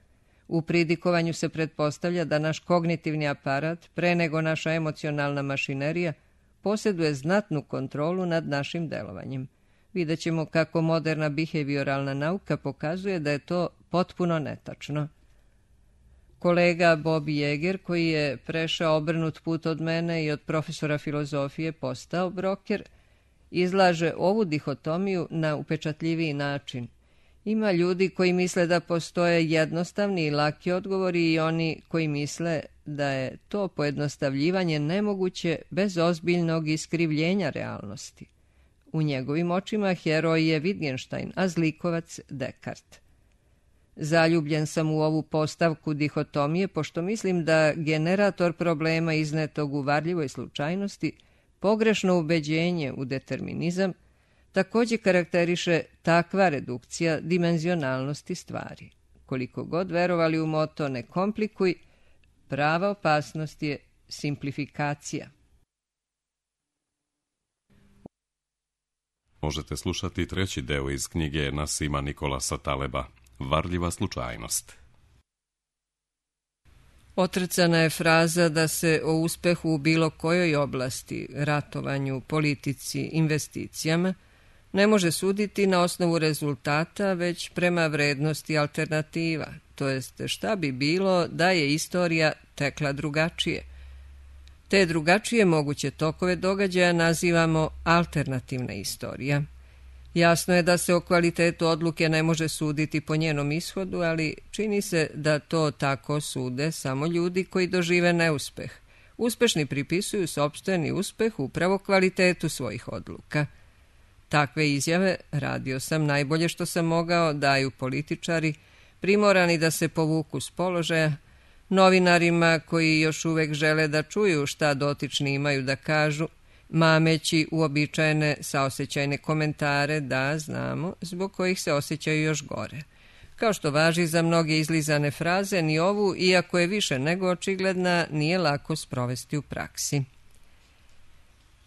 U pridikovanju se pretpostavlja da naš kognitivni aparat, pre nego naša emocionalna mašinerija, posjeduje znatnu kontrolu nad našim delovanjem. Vidjet ćemo kako moderna behavioralna nauka pokazuje da je to potpuno netačno. Kolega Bob Yeager, koji je prešao obrnut put od mene i od profesora filozofije postao broker, izlaže ovu dihotomiju na upečatljiviji način. Ima ljudi koji misle da postoje jednostavni i laki odgovori i oni koji misle da je to pojednostavljivanje nemoguće bez ozbiljnog iskrivljenja realnosti. U njegovim očima heroj je Wittgenstein, a zlikovac Descartes. Zaljubljen sam u ovu postavku dihotomije, pošto mislim da generator problema iznetog u varljivoj slučajnosti, pogrešno ubeđenje u determinizam, također karakteriše takva redukcija dimenzionalnosti stvari. Koliko god verovali u moto ne komplikuj, prava opasnost je simplifikacija. Možete slušati treći deo iz knjige Nasima Nikolasa Taleba, Varljiva slučajnost. Otrcana je fraza da se o uspehu u bilo kojoj oblasti, ratovanju, politici, investicijama, ne može suditi na osnovu rezultata, već prema vrednosti alternativa, to jest šta bi bilo da je istorija tekla drugačije. Te drugačije moguće tokove događaja nazivamo alternativna istorija. Jasno je da se o kvalitetu odluke ne može suditi po njenom ishodu, ali čini se da to tako sude samo ljudi koji dožive neuspeh. Uspešni pripisuju sopstveni uspeh upravo kvalitetu svojih odluka. Takve izjave, radio sam najbolje što sam mogao, daju političari, primorani da se povuku s položaja, novinarima koji još uvek žele da čuju šta dotični imaju da kažu, mameći uobičajene saosećajne komentare, da, znamo, zbog kojih se osjećaju još gore. Kao što važi za mnoge izlizane fraze, ni ovu, iako je više nego očigledna, nije lako sprovesti u praksi.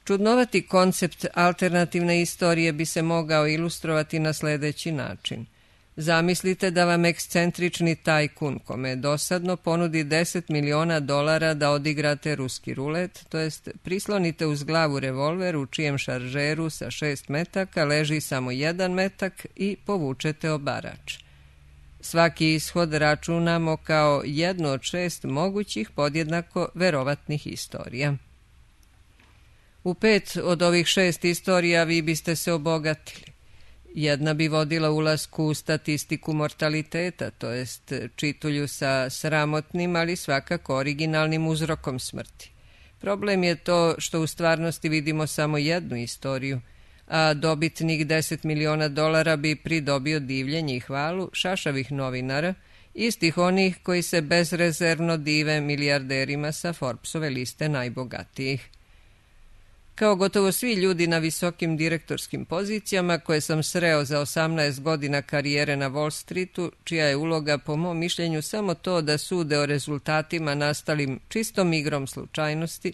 Čudnovati koncept alternativne istorije bi se mogao ilustrovati na sledeći način. Zamislite da vam ekscentrični tajkun, kome je dosadno, ponudi $10 miliona da odigrate ruski rulet, to jest prislonite uz glavu revolver u čijem šaržeru sa 6 metaka leži samo 1 metak i povučete obarač. Svaki ishod računamo kao jednu od 6 mogućih podjednako verovatnih istorija. U 5 od ovih 6 istorija vi biste se obogatili. Jedna bi vodila ulasku u statistiku mortaliteta, to jest čitulju sa sramotnim, ali svakako originalnim uzrokom smrti. Problem je to što u stvarnosti vidimo samo jednu istoriju, a dobitnik $10 miliona bi pridobio divljenje i hvalu šašavih novinara, istih onih koji se bezrezervno dive milijarderima sa Forbesove liste najbogatijih. Kao gotovo svi ljudi na visokim direktorskim pozicijama koje sam sreo za 18 godina karijere na Wall Streetu, čija je uloga po mom mišljenju samo to da sude o rezultatima nastalim čistom igrom slučajnosti,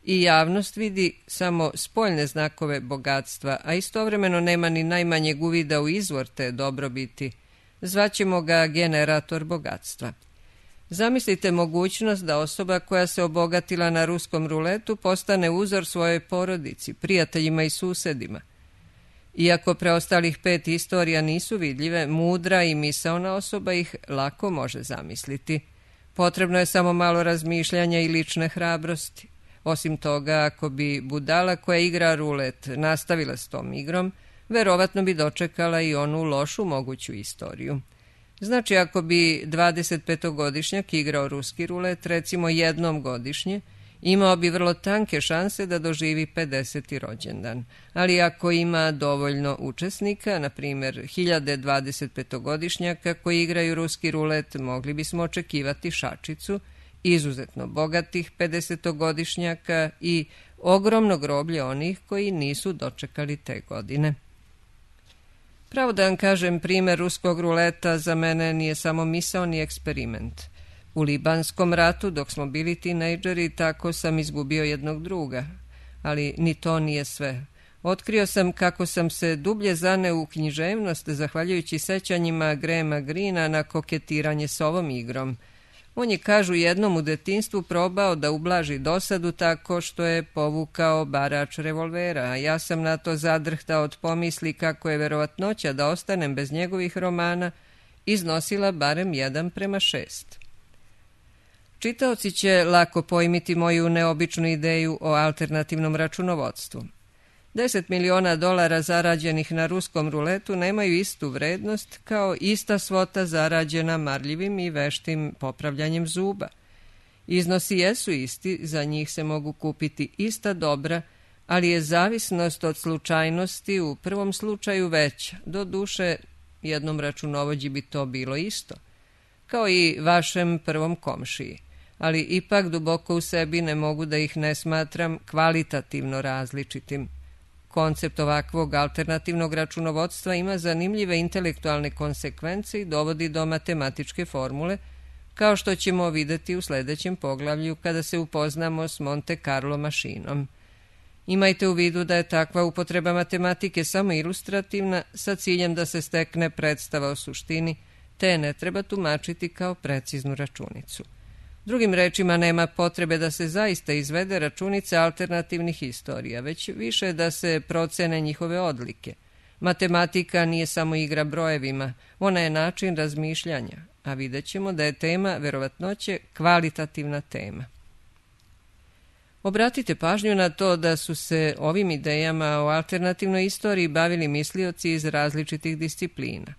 i javnost vidi samo spoljne znakove bogatstva, a istovremeno nema ni najmanjeg uvida u izvor te dobrobiti. Zvaćemo ga generator bogatstva. Zamislite mogućnost da osoba koja se obogatila na ruskom ruletu postane uzor svojoj porodici, prijateljima i susedima. Iako preostalih 5 istorija nisu vidljive, mudra i misaona osoba ih lako može zamisliti. Potrebno je samo malo razmišljanja i lične hrabrosti. Osim toga, ako bi budala koja igra rulet nastavila s tom igrom, verovatno bi dočekala i onu lošu moguću istoriju. Znači, ako bi 25-godišnjak igrao ruski rulet, recimo jednom godišnje, imao bi vrlo tanke šanse da doživi 50. rođendan. Ali ako ima dovoljno učesnika, na primjer 1000 25-godišnjaka koji igraju ruski rulet, mogli bismo očekivati šačicu, izuzetno bogatih 50-godišnjaka i ogromno groblje onih koji nisu dočekali te godine. Pravo da vam kažem, primjer ruskog ruleta za mene nije samo misaoni eksperiment. U Libanskom ratu, dok smo bili tinejdžeri, tako sam izgubio jednog druga. Ali ni to nije sve. Otkrio sam kako sam se dublje zaneo u književnost zahvaljujući sećanjima Grahama Greena na koketiranje s ovom igrom. On je, kažu, jednom u detinjstvu probao da ublaži dosadu tako što je povukao barač revolvera, a ja sam na to zadrhtao od pomisli kako je verovatnoća da ostanem bez njegovih romana iznosila barem 1:6. Čitaoci će lako pojmiti moju neobičnu ideju o alternativnom računovodstvu. $10 miliona zarađenih na ruskom ruletu nemaju istu vrednost kao ista svota zarađena marljivim i veštim popravljanjem zuba. Iznosi jesu isti, za njih se mogu kupiti ista dobra, ali je zavisnost od slučajnosti u prvom slučaju veća. Doduše, jednom računovođi bi to bilo isto, kao i vašem prvom komšiji, ali ipak duboko u sebi ne mogu da ih ne smatram kvalitativno različitim. Koncept ovakvog alternativnog računovodstva ima zanimljive intelektualne konsekvence i dovodi do matematičke formule, kao što ćemo videti u sledećem poglavlju kada se upoznamo s Monte Carlo mašinom. Imajte u vidu da je takva upotreba matematike samo ilustrativna, sa ciljem da se stekne predstava o suštini, te ne treba tumačiti kao preciznu računicu. Drugim rečima, nema potrebe da se zaista izvede računica alternativnih istorija, već više da se procene njihove odlike. Matematika nije samo igra brojevima, ona je način razmišljanja, a vidjet ćemo da je tema verovatnoće kvalitativna tema. Obratite pažnju na to da su se ovim idejama o alternativnoj istoriji bavili mislioci iz različitih disciplina.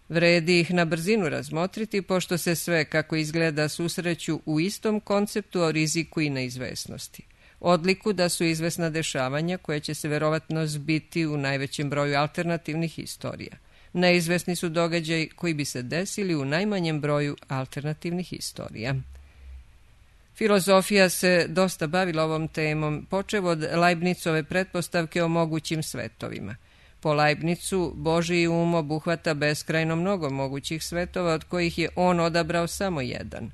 Vredi ih na brzinu razmotriti, pošto se sve, kako izgleda, susreću u istom konceptu o riziku i neizvesnosti. Odliku da su izvesna dešavanja koja će se verovatno zbiti u najvećem broju alternativnih istorija. Neizvesni su događaji koji bi se desili u najmanjem broju alternativnih istorija. Filozofija se dosta bavila ovom temom, počev od Leibnicove pretpostavke o mogućim svetovima. Po Leibnicu, Božji um obuhvata beskrajno mnogo mogućih svetova, od kojih je on odabrao samo jedan.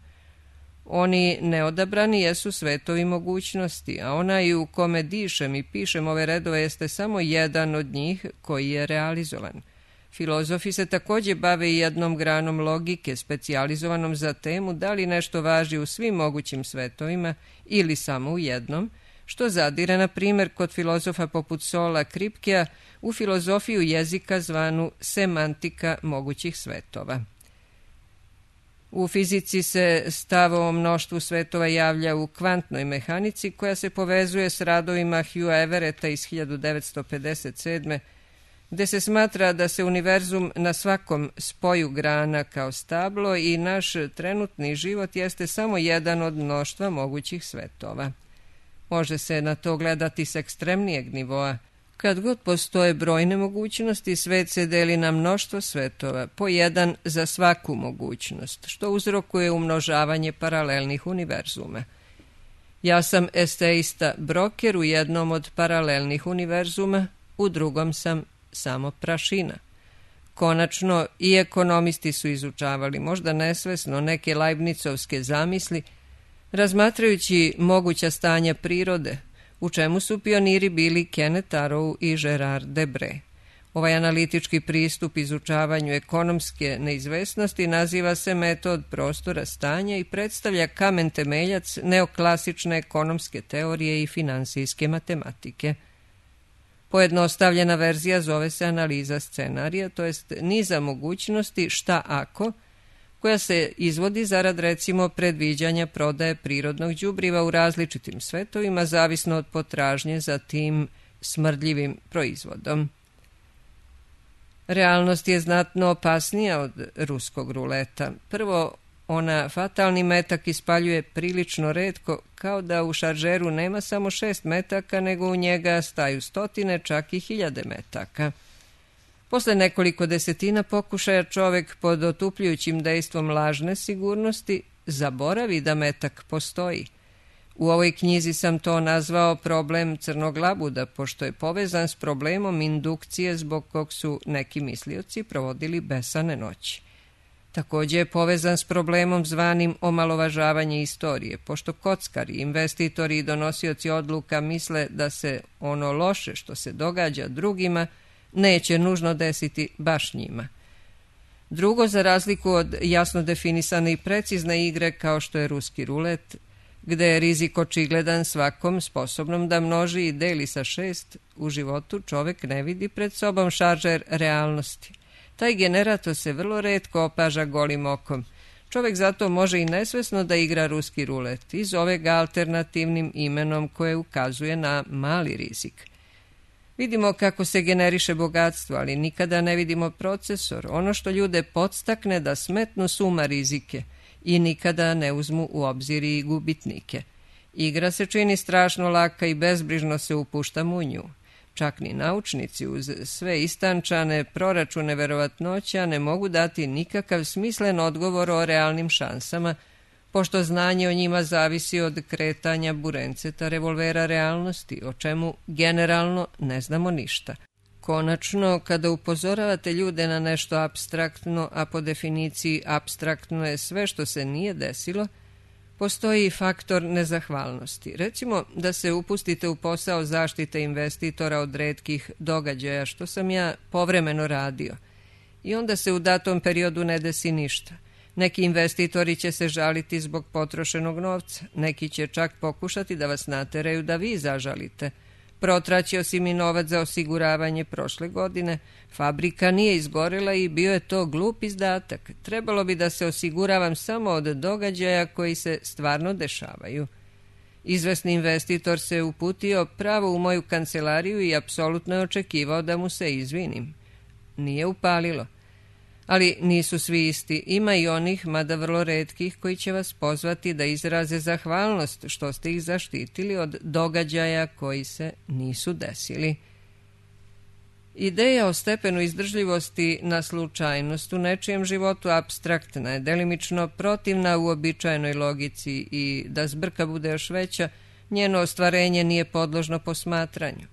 Oni neodabrani jesu svetovi mogućnosti, a onaj u kome dišem i pišem ove redove jeste samo jedan od njih koji je realizovan. Filozofi se također bave i jednom granom logike, specijalizovanom za temu da li nešto važi u svim mogućim svetovima ili samo u jednom, što zadire, na primjer, kod filozofa poput Sola Kripkea u filozofiju jezika zvanu semantika mogućih svetova. U fizici se stav o mnoštvu svetova javlja u kvantnoj mehanici, koja se povezuje s radovima Hughea Everetta iz 1957. gde se smatra da se univerzum na svakom spoju grana kao stablo i naš trenutni život jeste samo jedan od mnoštva mogućih svetova. Može se na to gledati s ekstremnijeg nivoa. Kad god postoje brojne mogućnosti, svet se deli na mnoštvo svetova, po jedan za svaku mogućnost, što uzrokuje umnožavanje paralelnih univerzuma. Ja sam eseista broker u jednom od paralelnih univerzuma, u drugom sam samo prašina. Konačno, i ekonomisti su izučavali, možda nesvesno, neke Leibnicovske zamisli, razmatrajući moguća stanja prirode, u čemu su pioniri bili Kenneth Arrow i Gerard Debré. Ovaj analitički pristup izučavanju ekonomske neizvesnosti naziva se metod prostora stanja i predstavlja kamen temeljac neoklasične ekonomske teorije i finansijske matematike. Pojednostavljena verzija zove se analiza scenarija, to jest niza mogućnosti šta ako, koja se izvodi zarad recimo predviđanja prodaje prirodnog đubriva u različitim svetovima, zavisno od potražnje za tim smrdljivim proizvodom. Realnost je znatno opasnija od ruskog ruleta. Prvo, ona fatalni metak ispaljuje prilično retko, kao da u šaržeru nema samo 6 metaka, nego u njega staju stotine, čak i 1000 metaka. Posle nekoliko desetina pokušaja čovek pod otupljujućim dejstvom lažne sigurnosti zaboravi da metak postoji. U ovoj knjizi sam to nazvao problem crnog labuda, pošto je povezan s problemom indukcije zbog kog su neki mislioci provodili besane noći. Također je povezan s problemom zvanim omalovažavanje istorije, pošto kockari, investitori i donosioci odluka misle da se ono loše što se događa drugima neće nužno desiti baš njima. Drugo, za razliku od jasno definisane i precizne igre kao što je ruski rulet, gde je rizik očigledan svakom sposobnom da množi i deli sa 6, u životu čovek ne vidi pred sobom šaržer realnosti. Taj generator se vrlo retko opaža golim okom. Čovek zato može i nesvesno da igra ruski rulet i zove ga alternativnim imenom koje ukazuje na mali rizik. Vidimo kako se generiše bogatstvo, ali nikada ne vidimo procesor, ono što ljude podstakne da smetnu s uma rizike i nikada ne uzmu u obzir i gubitnike. Igra se čini strašno laka i bezbrižno se upuštamo u nju. Čak ni naučnici uz sve istančane proračune verovatnoća ne mogu dati nikakav smislen odgovor o realnim šansama, pošto znanje o njima zavisi od kretanja burenceta revolvera realnosti, o čemu generalno ne znamo ništa. Konačno, kada upozoravate ljude na nešto apstraktno, a po definiciji apstraktno je sve što se nije desilo, postoji i faktor nezahvalnosti. Recimo da se upustite u posao zaštite investitora od retkih događaja, što sam ja povremeno radio, i onda se u datom periodu ne desi ništa. Neki investitori će se žaliti zbog potrošenog novca, neki će čak pokušati da vas nateraju da vi zažalite. Protraćio si mi novac za osiguravanje prošle godine, fabrika nije izgorela i bio je to glup izdatak. Trebalo bi da se osiguravam samo od događaja koji se stvarno dešavaju. Izvesni investitor se uputio pravo u moju kancelariju i apsolutno je očekivao da mu se izvinim. Nije upalilo. Ali nisu svi isti. Ima i onih, mada vrlo retkih, koji će vas pozvati da izraze zahvalnost što ste ih zaštitili od događaja koji se nisu desili. Ideja o stepenu izdržljivosti na slučajnost u nečijem životu apstraktna je, delimično protivna uobičajenoj logici i da zbrka bude još veća, njeno ostvarenje nije podložno posmatranju.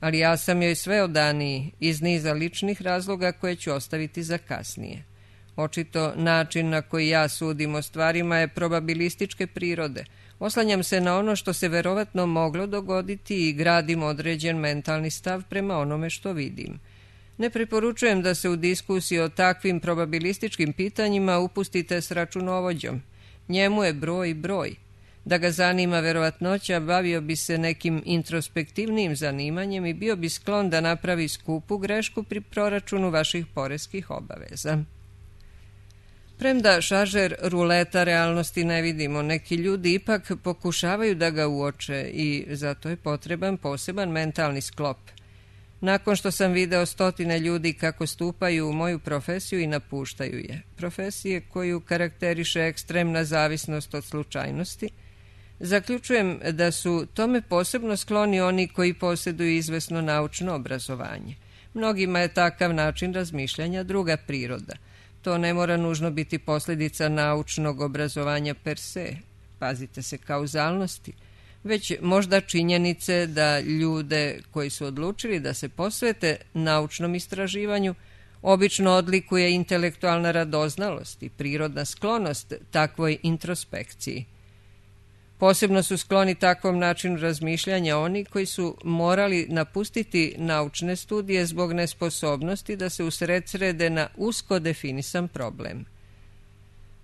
Ali ja sam joj sve odaniji iz niza ličnih razloga koje ću ostaviti za kasnije. Očito način na koji ja sudim o stvarima je probabilističke prirode. Oslanjam se na ono što se verovatno moglo dogoditi i gradim određen mentalni stav prema onome što vidim. Ne preporučujem da se u diskusiji o takvim probabilističkim pitanjima upustite s računovođom. Njemu je broj. Da ga zanima verovatnoća, bavio bi se nekim introspektivnim zanimanjem i bio bi sklon da napravi skupu grešku pri proračunu vaših poreskih obaveza. Premda šaržer ruleta realnosti ne vidimo, neki ljudi ipak pokušavaju da ga uoče i zato je potreban poseban mentalni sklop. Nakon što sam video stotine ljudi kako stupaju u moju profesiju i napuštaju je, profesije koju karakteriše ekstremna zavisnost od slučajnosti, zaključujem da su tome posebno skloni oni koji posjeduju izvesno naučno obrazovanje. Mnogima je takav način razmišljanja druga priroda. To ne mora nužno biti posljedica naučnog obrazovanja per se, pazite se kauzalnosti, već možda činjenice da ljude koji su odlučili da se posvete naučnom istraživanju obično odlikuje intelektualna radoznalost i prirodna sklonost takvoj introspekciji. Posebno su skloni takvom načinu razmišljanja oni koji su morali napustiti naučne studije zbog nesposobnosti da se usredsrede na usko definisan problem.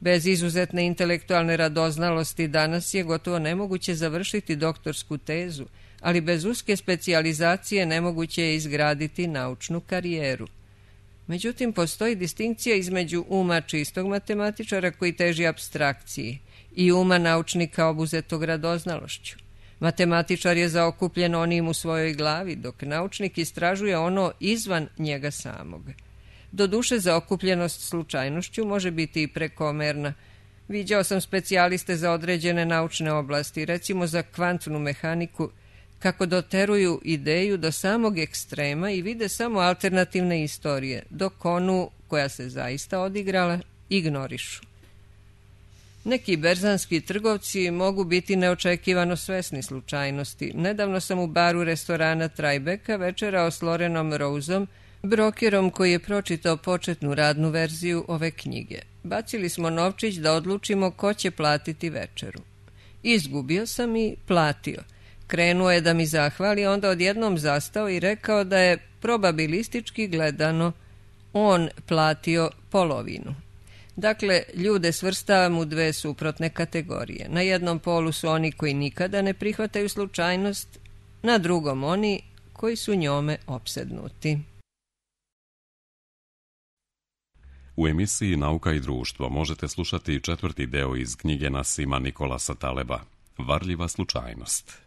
Bez izuzetne intelektualne radoznalosti danas je gotovo nemoguće završiti doktorsku tezu, ali bez uske specijalizacije nemoguće je izgraditi naučnu karijeru. Međutim, postoji distinkcija između uma čistog matematičara koji teži apstrakciji i uma naučnika obuzetog radoznalošću. Matematičar je zaokupljen onim u svojoj glavi, dok naučnik istražuje ono izvan njega samog. Doduše, zaokupljenost slučajnošću može biti i prekomerna. Viđao sam specijaliste za određene naučne oblasti, recimo za kvantnu mehaniku, kako doteruju ideju do samog ekstrema i vide samo alternativne istorije, dok onu koja se zaista odigrala ignorišu. Neki berzanski trgovci mogu biti neočekivano svesni slučajnosti. Nedavno sam u baru restorana Trajbeka večerao s Lorenom Roseom, brokerom koji je pročitao početnu radnu verziju ove knjige. Bacili smo novčić da odlučimo ko će platiti večeru. Izgubio sam i platio. Krenuo je da mi zahvali, onda odjednom zastao i rekao da je probabilistički gledano on platio polovinu. Dakle, ljude svrstavam u dve suprotne kategorije. Na jednom polu su oni koji nikada ne prihvataju slučajnost, na drugom oni koji su njome opsednuti. U emisiji Nauka i društvo možete slušati četvrti deo iz knjige Nasima Nikolasa Taleba, Varljiva slučajnost.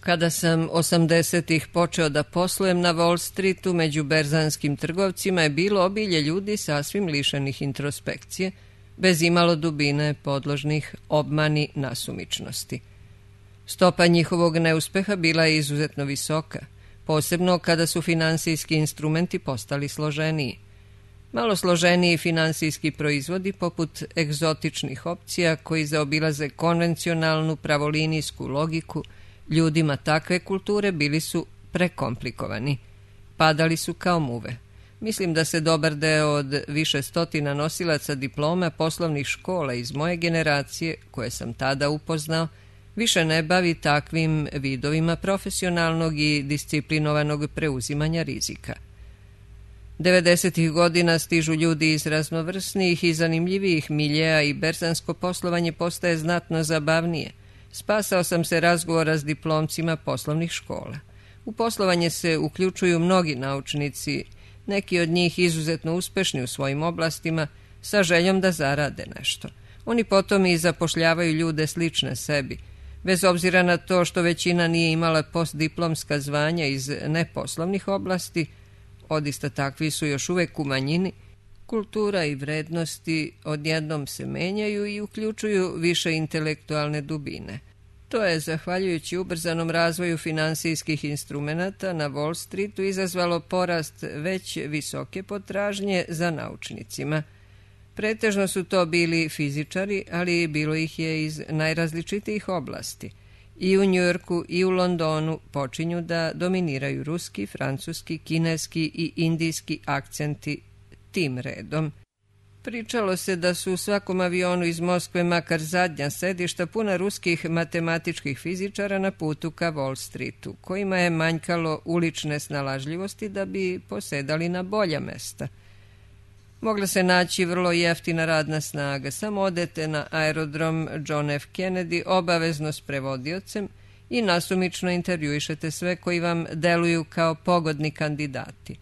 Kada sam 80-ih počeo da poslujem na Wall Streetu, među berzanskim trgovcima je bilo obilje ljudi sasvim lišenih introspekcije, bez imalo dubine, podložnih obmani nasumičnosti. Stopa njihovog neuspeha bila je izuzetno visoka, posebno kada su finansijski instrumenti postali složeniji. Malo složeniji finansijski proizvodi, poput egzotičnih opcija koji zaobilaze konvencionalnu pravolinijsku logiku, ljudima takve kulture bili su prekomplikovani. Padali su kao muve. Mislim da se dobar deo od više stotina nosilaca diploma poslovnih škola iz moje generacije, koje sam tada upoznao, više ne bavi takvim vidovima profesionalnog i disciplinovanog preuzimanja rizika. 90-ih godina stižu ljudi iz raznovrsnijih i zanimljivijih miljeja i berzansko poslovanje postaje znatno zabavnije. Spasao sam se razgovora s diplomcima poslovnih škola. U poslovanje se uključuju mnogi naučnici, neki od njih izuzetno uspešni u svojim oblastima, sa željom da zarade nešto. Oni potom i zapošljavaju ljude slične sebi, bez obzira na to što većina nije imala postdiplomska zvanja iz neposlovnih oblasti, odista takvi su još uvek u manjini, kultura i vrednosti odjednom se menjaju i uključuju više intelektualne dubine. To je, zahvaljujući ubrzanom razvoju finansijskih instrumenata na Wall Streetu, izazvalo porast već visoke potražnje za naučnicima. Pretežno su to bili fizičari, ali bilo ih je iz najrazličitijih oblasti. I u Njujorku i u Londonu počinju da dominiraju ruski, francuski, kineski i indijski akcenti tim redom. Pričalo se da su u svakom avionu iz Moskve makar zadnja sedišta puna ruskih matematičkih fizičara na putu ka Wall Streetu, kojima je manjkalo ulične snalažljivosti da bi posedali na bolja mesta. Mogla se naći vrlo jeftina radna snaga, samo odete na aerodrom John F. Kennedy obavezno s prevodiocem i nasumično intervjuišete sve koji vam deluju kao pogodni kandidati.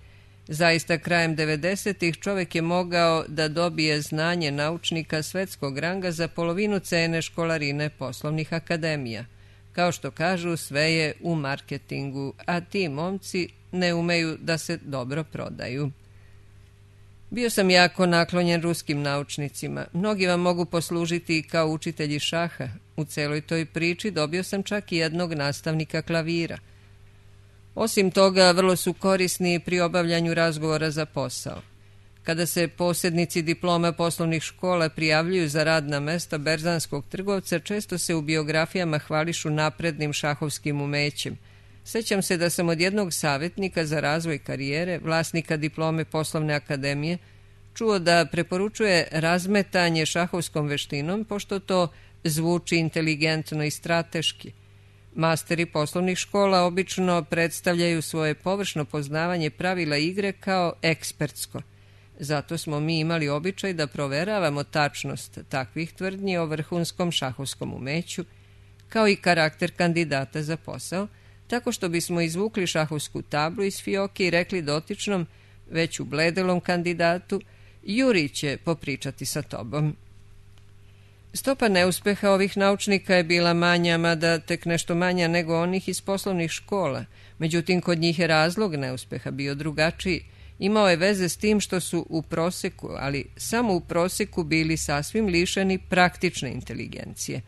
Zaista, krajem 90-ih čovjek je mogao da dobije znanje naučnika svetskog ranga za polovinu cene školarine poslovnih akademija. Kao što kažu, sve je u marketingu, a ti momci ne umeju da se dobro prodaju. Bio sam jako naklonjen ruskim naučnicima. Mnogi vam mogu poslužiti i kao učitelji šaha. U celoj toj priči dobio sam čak i jednog nastavnika klavira. Osim toga, vrlo su korisni pri obavljanju razgovora za posao. Kada se posjednici diploma poslovnih škola prijavljuju za radna mesta berzanskog trgovca, često se u biografijama hvališu naprednim šahovskim umećem. Sećam se da sam od jednog savjetnika za razvoj karijere, vlasnika diplome poslovne akademije, čuo da preporučuje razmetanje šahovskom veštinom, pošto to zvuči inteligentno i strateški. Masteri poslovnih škola obično predstavljaju svoje površno poznavanje pravila igre kao ekspertsko. Zato smo mi imali običaj da proveravamo tačnost takvih tvrdnji o vrhunskom šahovskom umeću, kao i karakter kandidata za posao, tako što bismo izvukli šahovsku tablu iz fioke i rekli dotičnom, već ubledelom kandidatu, Juri će popričati sa tobom. Stopa neuspeha ovih naučnika je bila manja, mada tek nešto manja nego onih iz poslovnih škola. Međutim, kod njih je razlog neuspeha bio drugačiji. Imao je veze s tim što su u proseku, ali samo u proseku, bili sasvim lišeni praktične inteligencije.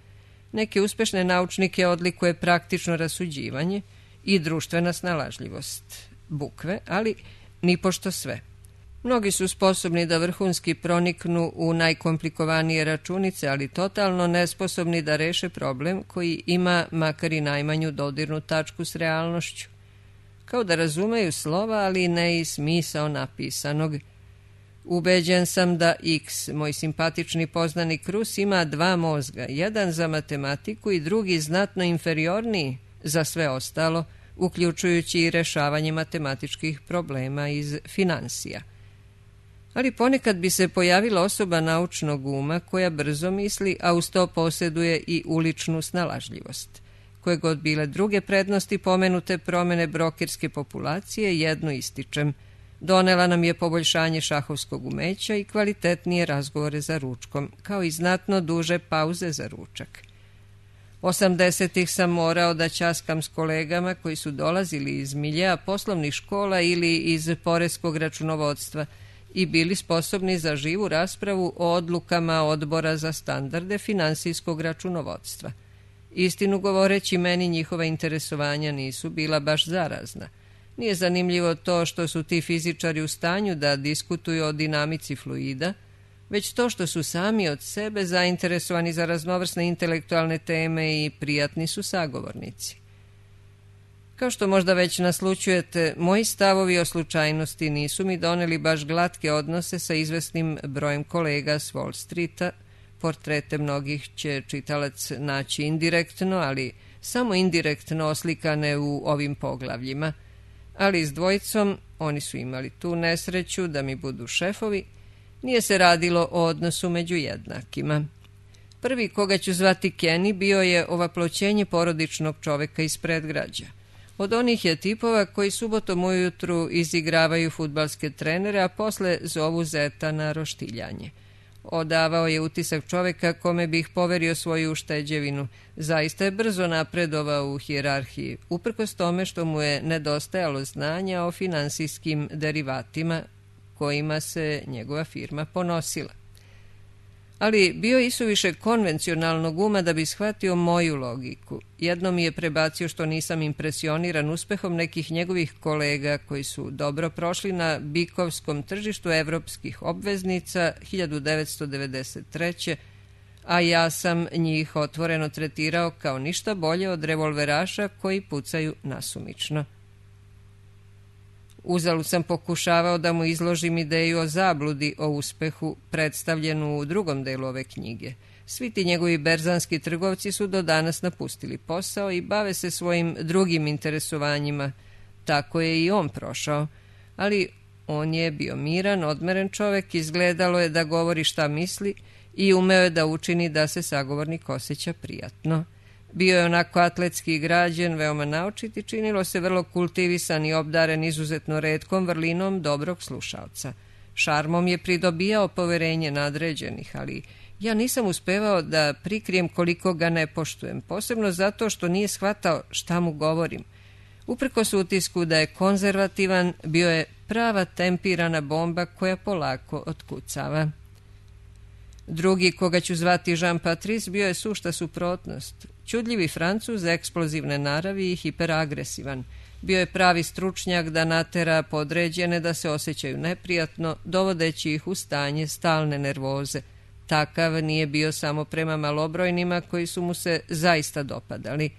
Neke uspešne naučnike odlikuje praktično rasuđivanje i društvena snalažljivost, bukve, ali nipošto sve. Mnogi su sposobni da vrhunski proniknu u najkomplikovanije računice, ali totalno nesposobni da reše problem koji ima makar i najmanju dodirnu tačku s realnošću. Kao da razumeju slova, ali ne i smisao napisanog. Ubeđen sam da X, moj simpatični poznanik Rus, ima dva mozga, jedan za matematiku i drugi znatno inferiorniji za sve ostalo, uključujući i rešavanje matematičkih problema iz finansija. Ali ponekad bi se pojavila osoba naučnog uma koja brzo misli, a uz to posjeduje i uličnu snalažljivost. Koje god bile druge prednosti pomenute promene brokerske populacije, jednu ističem. Donela nam je poboljšanje šahovskog umeća i kvalitetnije razgovore za ručkom, kao i znatno duže pauze za ručak. 80-ih sam morao da ćaskam s kolegama koji su dolazili iz miljea poslovnih škola ili iz poreskog računovodstva i bili sposobni za živu raspravu o odlukama odbora za standarde finansijskog računovodstva. Istinu govoreći, meni njihova interesovanja nisu bila baš zarazna. Nije zanimljivo to što su ti fizičari u stanju da diskutuju o dinamici fluida, već to što su sami od sebe zainteresovani za raznovrsne intelektualne teme i prijatni su sagovornici. Kao što možda već naslućujete, moji stavovi o slučajnosti nisu mi doneli baš glatke odnose sa izvesnim brojem kolega s Wall Streeta. Portrete mnogih će čitalac naći indirektno, ali samo indirektno oslikane u ovim poglavljima. Ali s dvojicom, oni su imali tu nesreću da mi budu šefovi, nije se radilo o odnosu među jednakima. Prvi koga ću zvati Kenny bio je ovaploćenje porodičnog čoveka iz predgrađa. Od onih je tipova koji subotom ujutru izigravaju fudbalske trenere, a posle zovu zeta na roštiljanje. Odavao je utisak čoveka kome bih poverio svoju ušteđevinu. Zaista je brzo napredovao u hijerarhiji, uprkos tome što mu je nedostajalo znanja o finansijskim derivatima kojima se njegova firma ponosila. Ali bio je isuviše konvencionalnog uma da bi shvatio moju logiku. Jednom mi je prebacio što nisam impresioniran uspehom nekih njegovih kolega koji su dobro prošli na bikovskom tržištu evropskih obveznica 1993. a ja sam njih otvoreno tretirao kao ništa bolje od revolveraša koji pucaju nasumično. Uzalud sam pokušavao da mu izložim ideju o zabludi o uspehu predstavljenu u drugom delu ove knjige. Svi ti njegovi berzanski trgovci su do danas napustili posao i bave se svojim drugim interesovanjima. Tako je i on prošao, ali on je bio miran, odmeren čovek, izgledalo je da govori šta misli i umeo je da učini da se sagovornik osjeća prijatno. Bio je onako atletski građen, veoma naučit i činilo se vrlo kultivisan i obdaren izuzetno retkom vrlinom dobrog slušalca. Šarmom je pridobijao poverenje nadređenih, ali ja nisam uspevao da prikrijem koliko ga ne poštujem, posebno zato što nije shvatao šta mu govorim. Uprkos utisku da je konzervativan, bio je prava tempirana bomba koja polako otkucava. Drugi, koga ću zvati Jean Patrice, bio je sušta suprotnost. Čudljivi Francuz, eksplozivne naravi i hiperagresivan. Bio je pravi stručnjak da natera podređene da se osjećaju neprijatno, dovodeći ih u stanje stalne nervoze. Takav nije bio samo prema malobrojnima koji su mu se zaista dopadali.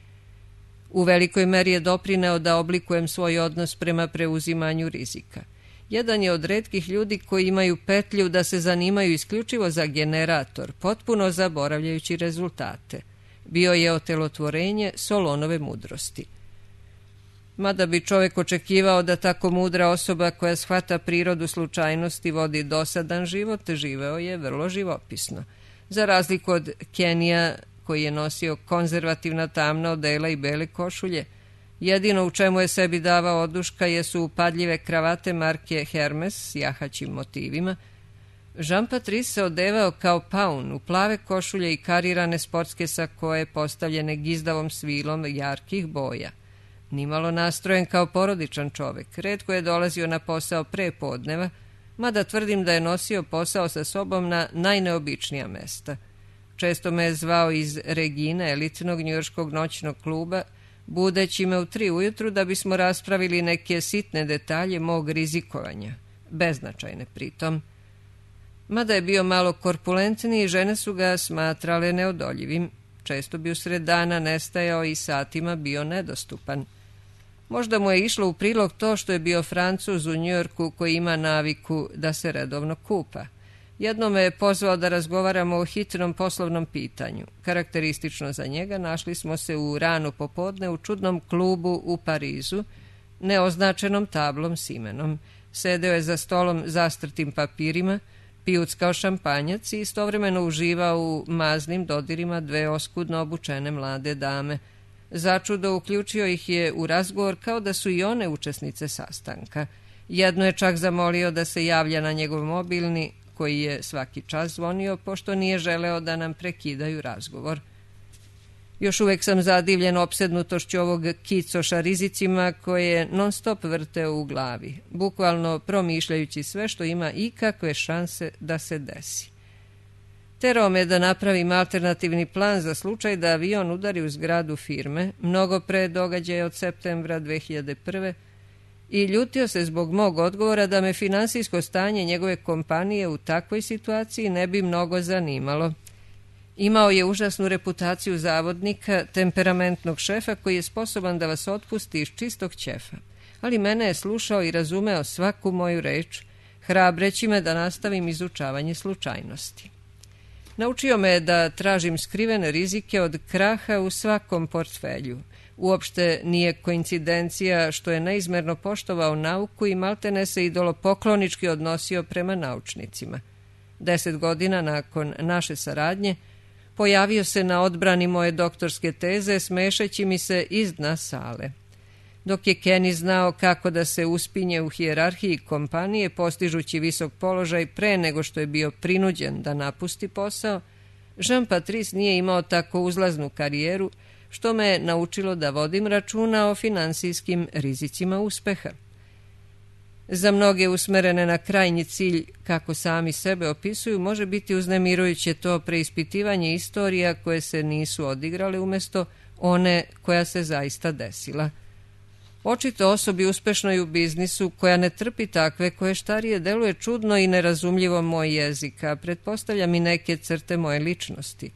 U velikoj meri je doprineo da oblikujem svoj odnos prema preuzimanju rizika. Jedan je od retkih ljudi koji imaju petlju da se zanimaju isključivo za generator, potpuno zaboravljajući rezultate. Bio je otelotvorenje Solonove mudrosti. Mada bi čovjek očekivao da tako mudra osoba koja shvata prirodu slučajnosti vodi dosadan život, živeo je vrlo živopisno. Za razliku od Kenija, koji je nosio konzervativna tamna odela i bele košulje, jedino u čemu je sebi davao oduška jesu upadljive kravate marke Hermes s jahaćim motivima. Jean Patrice se odevao kao paun u plave košulje i karirane sportske sakoje postavljene gizdavom svilom jarkih boja. Nimalo nastrojen kao porodičan čovek, retko je dolazio na posao pre podneva, mada tvrdim da je nosio posao sa sobom na najneobičnija mesta. Često me je zvao iz Regine, elitnog njujorškog noćnog kluba, budeći me u 3 ujutru da bismo raspravili neke sitne detalje mog rizikovanja, beznačajne pritom. Mada je bio malo korpulentniji, žene su ga smatrale neodoljivim. Često bi usred dana nestajao i satima bio nedostupan. Možda mu je išlo u prilog to što je bio Francuz u Njujorku koji ima naviku da se redovno kupa. Jednom me je pozvao da razgovaramo o hitnom poslovnom pitanju. Karakteristično za njega našli smo se u rano popodne u čudnom klubu u Parizu, neoznačenom tablom s imenom. Sedeo je za stolom zastrtim papirima, pijuckao šampanjac i istovremeno uživao u maznim dodirima 2 oskudno obučene mlade dame. Začudo uključio ih je u razgovor kao da su i one učesnice sastanka. Jedno je čak zamolio da se javlja na njegov mobilni, koji je svaki čas zvonio, pošto nije želeo da nam prekidaju razgovor. Još uvek sam zadivljen opsednutošću ovog kicoša rizicima koje je non stop vrteo u glavi, bukvalno promišljajući sve što ima ikakve šanse da se desi. Terao me da napravim alternativni plan za slučaj da avion udari u zgradu firme, mnogo pre događaja od septembra 2001. i ljutio se zbog mog odgovora da me finansijsko stanje njegove kompanije u takvoj situaciji ne bi mnogo zanimalo. Imao je užasnu reputaciju zavodnika, temperamentnog šefa koji je sposoban da vas otpusti iz čistog ćefa. Ali mene je slušao i razumeo svaku moju reč, hrabreći me da nastavim izučavanje slučajnosti. Naučio me da tražim skrivene rizike od kraha u svakom portfelju. Uopšte nije koincidencija što je neizmerno poštovao nauku i maltene se idolopoklonički odnosio prema naučnicima. 10 godina nakon naše saradnje pojavio se na odbrani moje doktorske teze smešeći mi se iz dna sale. dok je Kenny znao kako da se uspinje u hijerarhiji kompanije postižući visok položaj pre nego što je bio prinuđen da napusti posao, Jean-Patrice nije imao tako uzlaznu karijeru, što me je naučilo da vodim računa o finansijskim rizicima uspeha. Za mnoge usmerene na krajnji cilj, kako sami sebe opisuju, može biti uznemirujuće to preispitivanje istorija koje se nisu odigrale umjesto one koja se zaista desila. Očito osobi uspešnoj u biznisu koja ne trpi takve koje štarije deluje čudno i nerazumljivo moj jezik, a pretpostavljam i neke crte moje ličnosti.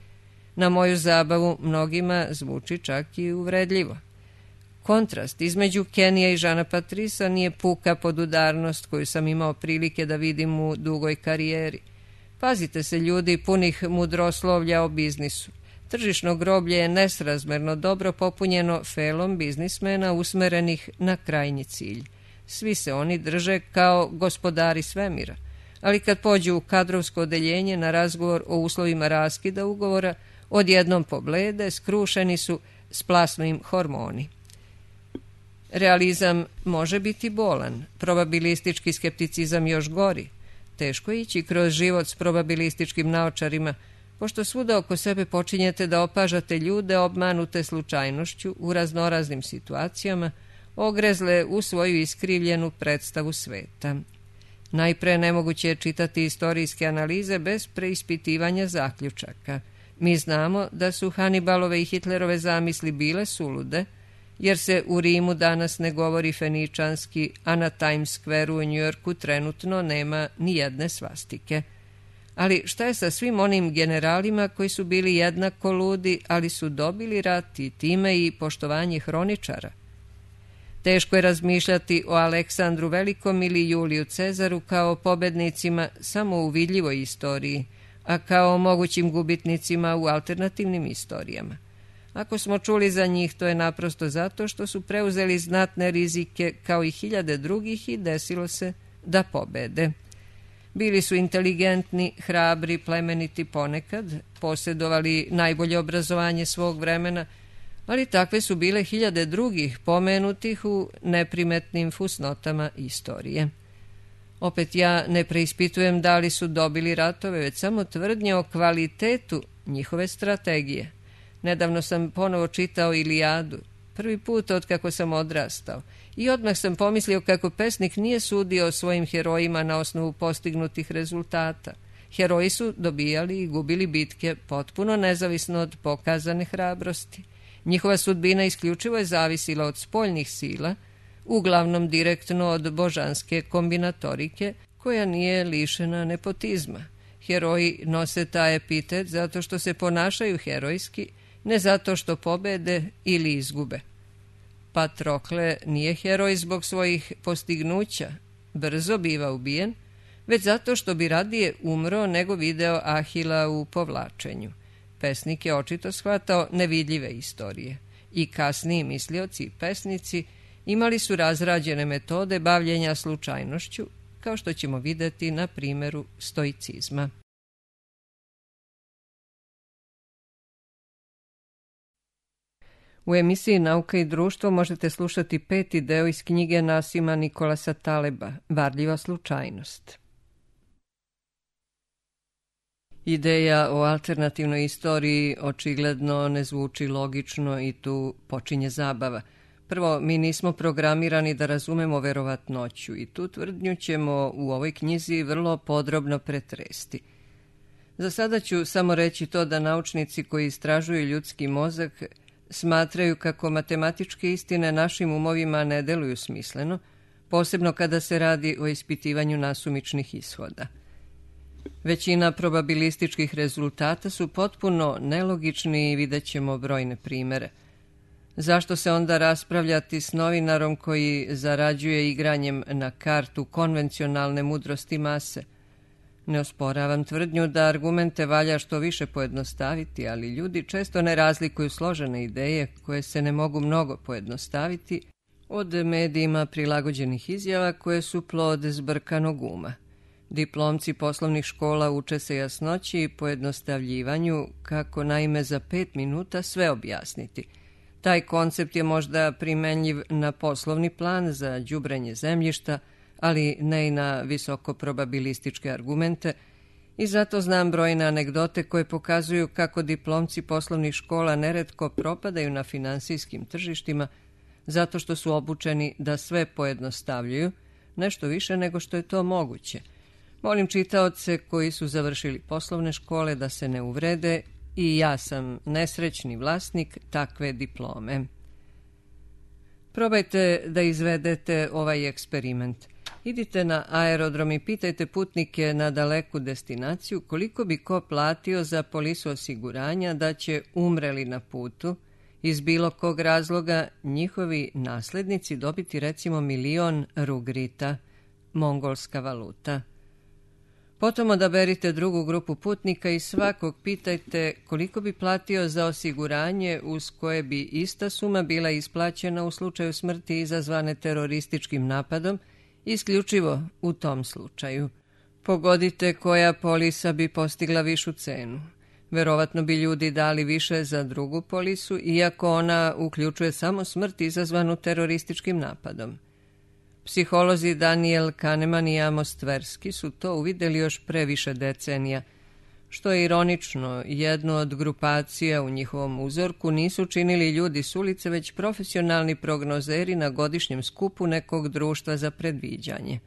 Na moju zabavu mnogima zvuči čak i uvredljivo. Kontrast između Kenija i Jeana Patrisa nije puka podudarnost koju sam imao prilike da vidim u dugoj karijeri. Pazite se ljudi punih mudroslovlja o biznisu. Tržišno groblje je nesrazmerno dobro popunjeno felom biznismena usmerenih na krajnji cilj. Svi se oni drže kao gospodari svemira, ali kad pođu u kadrovsko odeljenje na razgovor o uslovima raskida ugovora, odjednom poblede, skrušeni su, splasnu im hormoni. Realizam može biti bolan, probabilistički skepticizam još gori. Teško je ići kroz život s probabilističkim naočarima, pošto svuda oko sebe počinjete da opažate ljude obmanute slučajnošću u raznoraznim situacijama, ogrezle u svoju iskrivljenu predstavu sveta. Najpre nemoguće je čitati istorijske analize bez preispitivanja zaključaka. Mi znamo da su Hannibalove i Hitlerove zamisli bile sulude, jer se u Rimu danas ne govori feničanski, a na Times Square u Njujorku trenutno nema ni jedne svastike. Ali šta je sa svim onim generalima koji su bili jednako ludi, ali su dobili rat i time i poštovanje hroničara? Teško je razmišljati o Aleksandru Velikom ili Juliju Cezaru kao pobednicima samo u vidljivoj istoriji, a kao mogućim gubitnicima u alternativnim istorijama. Ako smo čuli za njih, to je naprosto zato što su preuzeli znatne rizike kao i hiljade drugih i desilo se da pobede. Bili su inteligentni, hrabri, plemeniti ponekad, posjedovali najbolje obrazovanje svog vremena, ali takve su bile hiljade drugih pomenutih u neprimetnim fusnotama istorije. Opet ja ne preispitujem da li su dobili ratove, već samo tvrdnje o kvalitetu njihove strategije. Nedavno sam ponovo čitao Ilijadu, prvi put od kako sam odrastao, i odmah sam pomislio kako pesnik nije sudio o svojim herojima na osnovu postignutih rezultata. Heroji su dobijali i gubili bitke potpuno nezavisno od pokazane hrabrosti. Njihova sudbina isključivo je zavisila od spoljnih sila, uglavnom direktno od božanske kombinatorike, koja nije lišena nepotizma. Heroji nose taj epitet zato što se ponašaju herojski, ne zato što pobede ili izgube. Patrokle nije heroj zbog svojih postignuća, brzo biva ubijen, već zato što bi radije umro nego video Ahila u povlačenju. Pesnik je očito shvatao nevidljive istorije i kasniji mislioci i pesnici imali su razrađene metode bavljenja slučajnošću, kao što ćemo vidjeti na primjeru stoicizma. U emisiji Nauka i društvo možete slušati 5. deo iz knjige Nasima Nikolasa Taleba, Varljiva slučajnost. Ideja o alternativnoj istoriji očigledno ne zvuči logično i tu počinje zabava. Prvo, mi nismo programirani da razumemo verovatnoću i tu tvrdnju ćemo u ovoj knjizi vrlo podrobno pretresti. Za sada ću samo reći to da naučnici koji istražuju ljudski mozak smatraju kako matematičke istine našim umovima ne deluju smisleno, posebno kada se radi o ispitivanju nasumičnih ishoda. Većina probabilističkih rezultata su potpuno nelogični i vidjet ćemo brojne primere. Zašto se onda raspravljati s novinarom koji zarađuje igranjem na kartu konvencionalne mudrosti mase? Ne osporavam tvrdnju da argumente valja što više pojednostaviti, ali ljudi često ne razlikuju složene ideje koje se ne mogu mnogo pojednostaviti od medijima prilagođenih izjava koje su plod zbrkanog uma. Diplomci poslovnih škola uče se jasnoći i pojednostavljivanju kako naime za 5 minuta sve objasniti. Taj koncept je možda primenljiv na poslovni plan za đubrenje zemljišta, ali ne i na visoko probabilističke argumente, i zato znam brojne anegdote koje pokazuju kako diplomci poslovnih škola neretko propadaju na finansijskim tržištima zato što su obučeni da sve pojednostavljuju, nešto više nego što je to moguće. Molim čitaoce koji su završili poslovne škole da se ne uvrede, i ja sam nesrećni vlasnik takve diplome. Probajte da izvedete ovaj eksperiment. Idite na aerodrom i pitajte putnike na daleku destinaciju koliko bi ko platio za polisu osiguranja da će, umreli na putu, iz bilo kog razloga njihovi naslednici dobiti recimo 1.000.000 rugrita, mongolska valuta. Potom odaberite drugu grupu putnika i svakog pitajte koliko bi platio za osiguranje uz koje bi ista suma bila isplaćena u slučaju smrti izazvane terorističkim napadom, isključivo u tom slučaju. Pogodite koja polisa bi postigla višu cenu. Verovatno bi ljudi dali više za drugu polisu, iako ona uključuje samo smrt izazvanu terorističkim napadom. Psiholozi Daniel Kahneman i Amos Tversky su to uvidjeli još pre više decenija. Što je ironično, jednu od grupacija u njihovom uzorku nisu činili ljudi s ulice, već profesionalni prognozeri na godišnjem skupu nekog društva za predviđanje.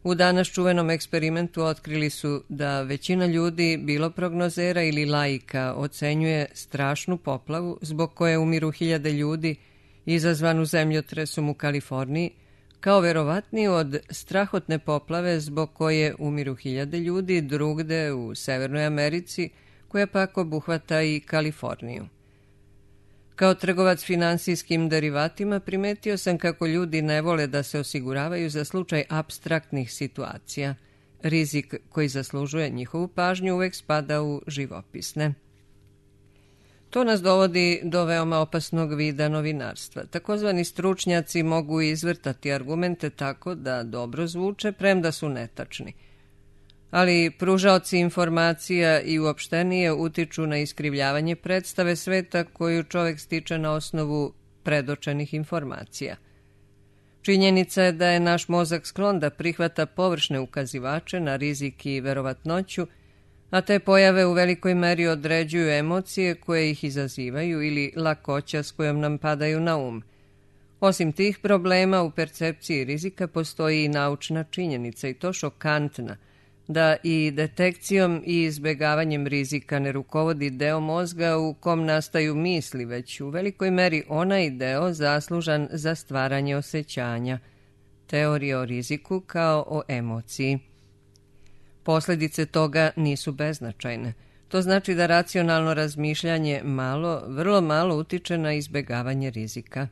U danas čuvenom eksperimentu otkrili su da većina ljudi, bilo prognozera ili laika, ocenjuje strašnu poplavu zbog koje umiru hiljade ljudi izazvanu zemljotresom u Kaliforniji, kao verovatniju od strahotne poplave zbog koje umiru hiljade ljudi drugde u Severnoj Americi, koja pak obuhvata i Kaliforniju. Kao trgovac finansijskim derivatima primetio sam kako ljudi ne vole da se osiguravaju za slučaj apstraktnih situacija. Rizik koji zaslužuje njihovu pažnju uvek spada u živopisne. To nas dovodi do veoma opasnog vida novinarstva. Takozvani stručnjaci mogu izvrtati argumente tako da dobro zvuče, premda su netačni. Ali pružaoci informacija i uopštenije utiču na iskrivljavanje predstave sveta koju čovjek stiče na osnovu predočenih informacija. Činjenica je da je naš mozak sklon da prihvata površne ukazivače na rizik i verovatnoću, a te pojave u velikoj meri određuju emocije koje ih izazivaju ili lakoća s kojom nam padaju na um. Osim tih problema, u percepciji rizika postoji i naučna činjenica, i to šokantna, da i detekcijom i izbegavanjem rizika ne rukovodi deo mozga u kom nastaju misli, već u velikoj meri onaj deo zaslužan za stvaranje osjećanja, teorije o riziku kao o emociji. Posljedice toga nisu beznačajne. To znači da racionalno razmišljanje vrlo malo utiče na izbegavanje rizika.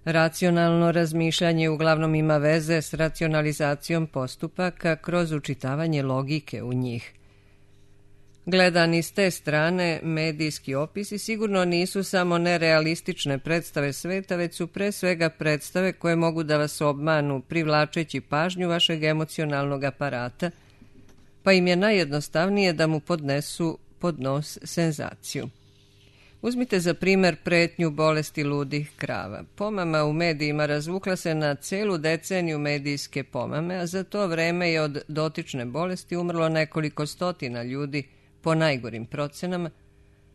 Racionalno razmišljanje uglavnom ima veze s racionalizacijom postupaka kroz učitavanje logike u njih. Gledani s te strane, medijski opisi sigurno nisu samo nerealistične predstave sveta, već su pre svega predstave koje mogu da vas obmanu privlačeći pažnju vašeg emocionalnog aparata, pa im je najjednostavnije da mu podnesu pod nos senzaciju. Uzmite za primer pretnju bolesti ludih krava. Pomama u medijima razvukla se na celu deceniju medijske pomame, a za to vreme je od dotične bolesti umrlo nekoliko stotina ljudi po najgorim procenama,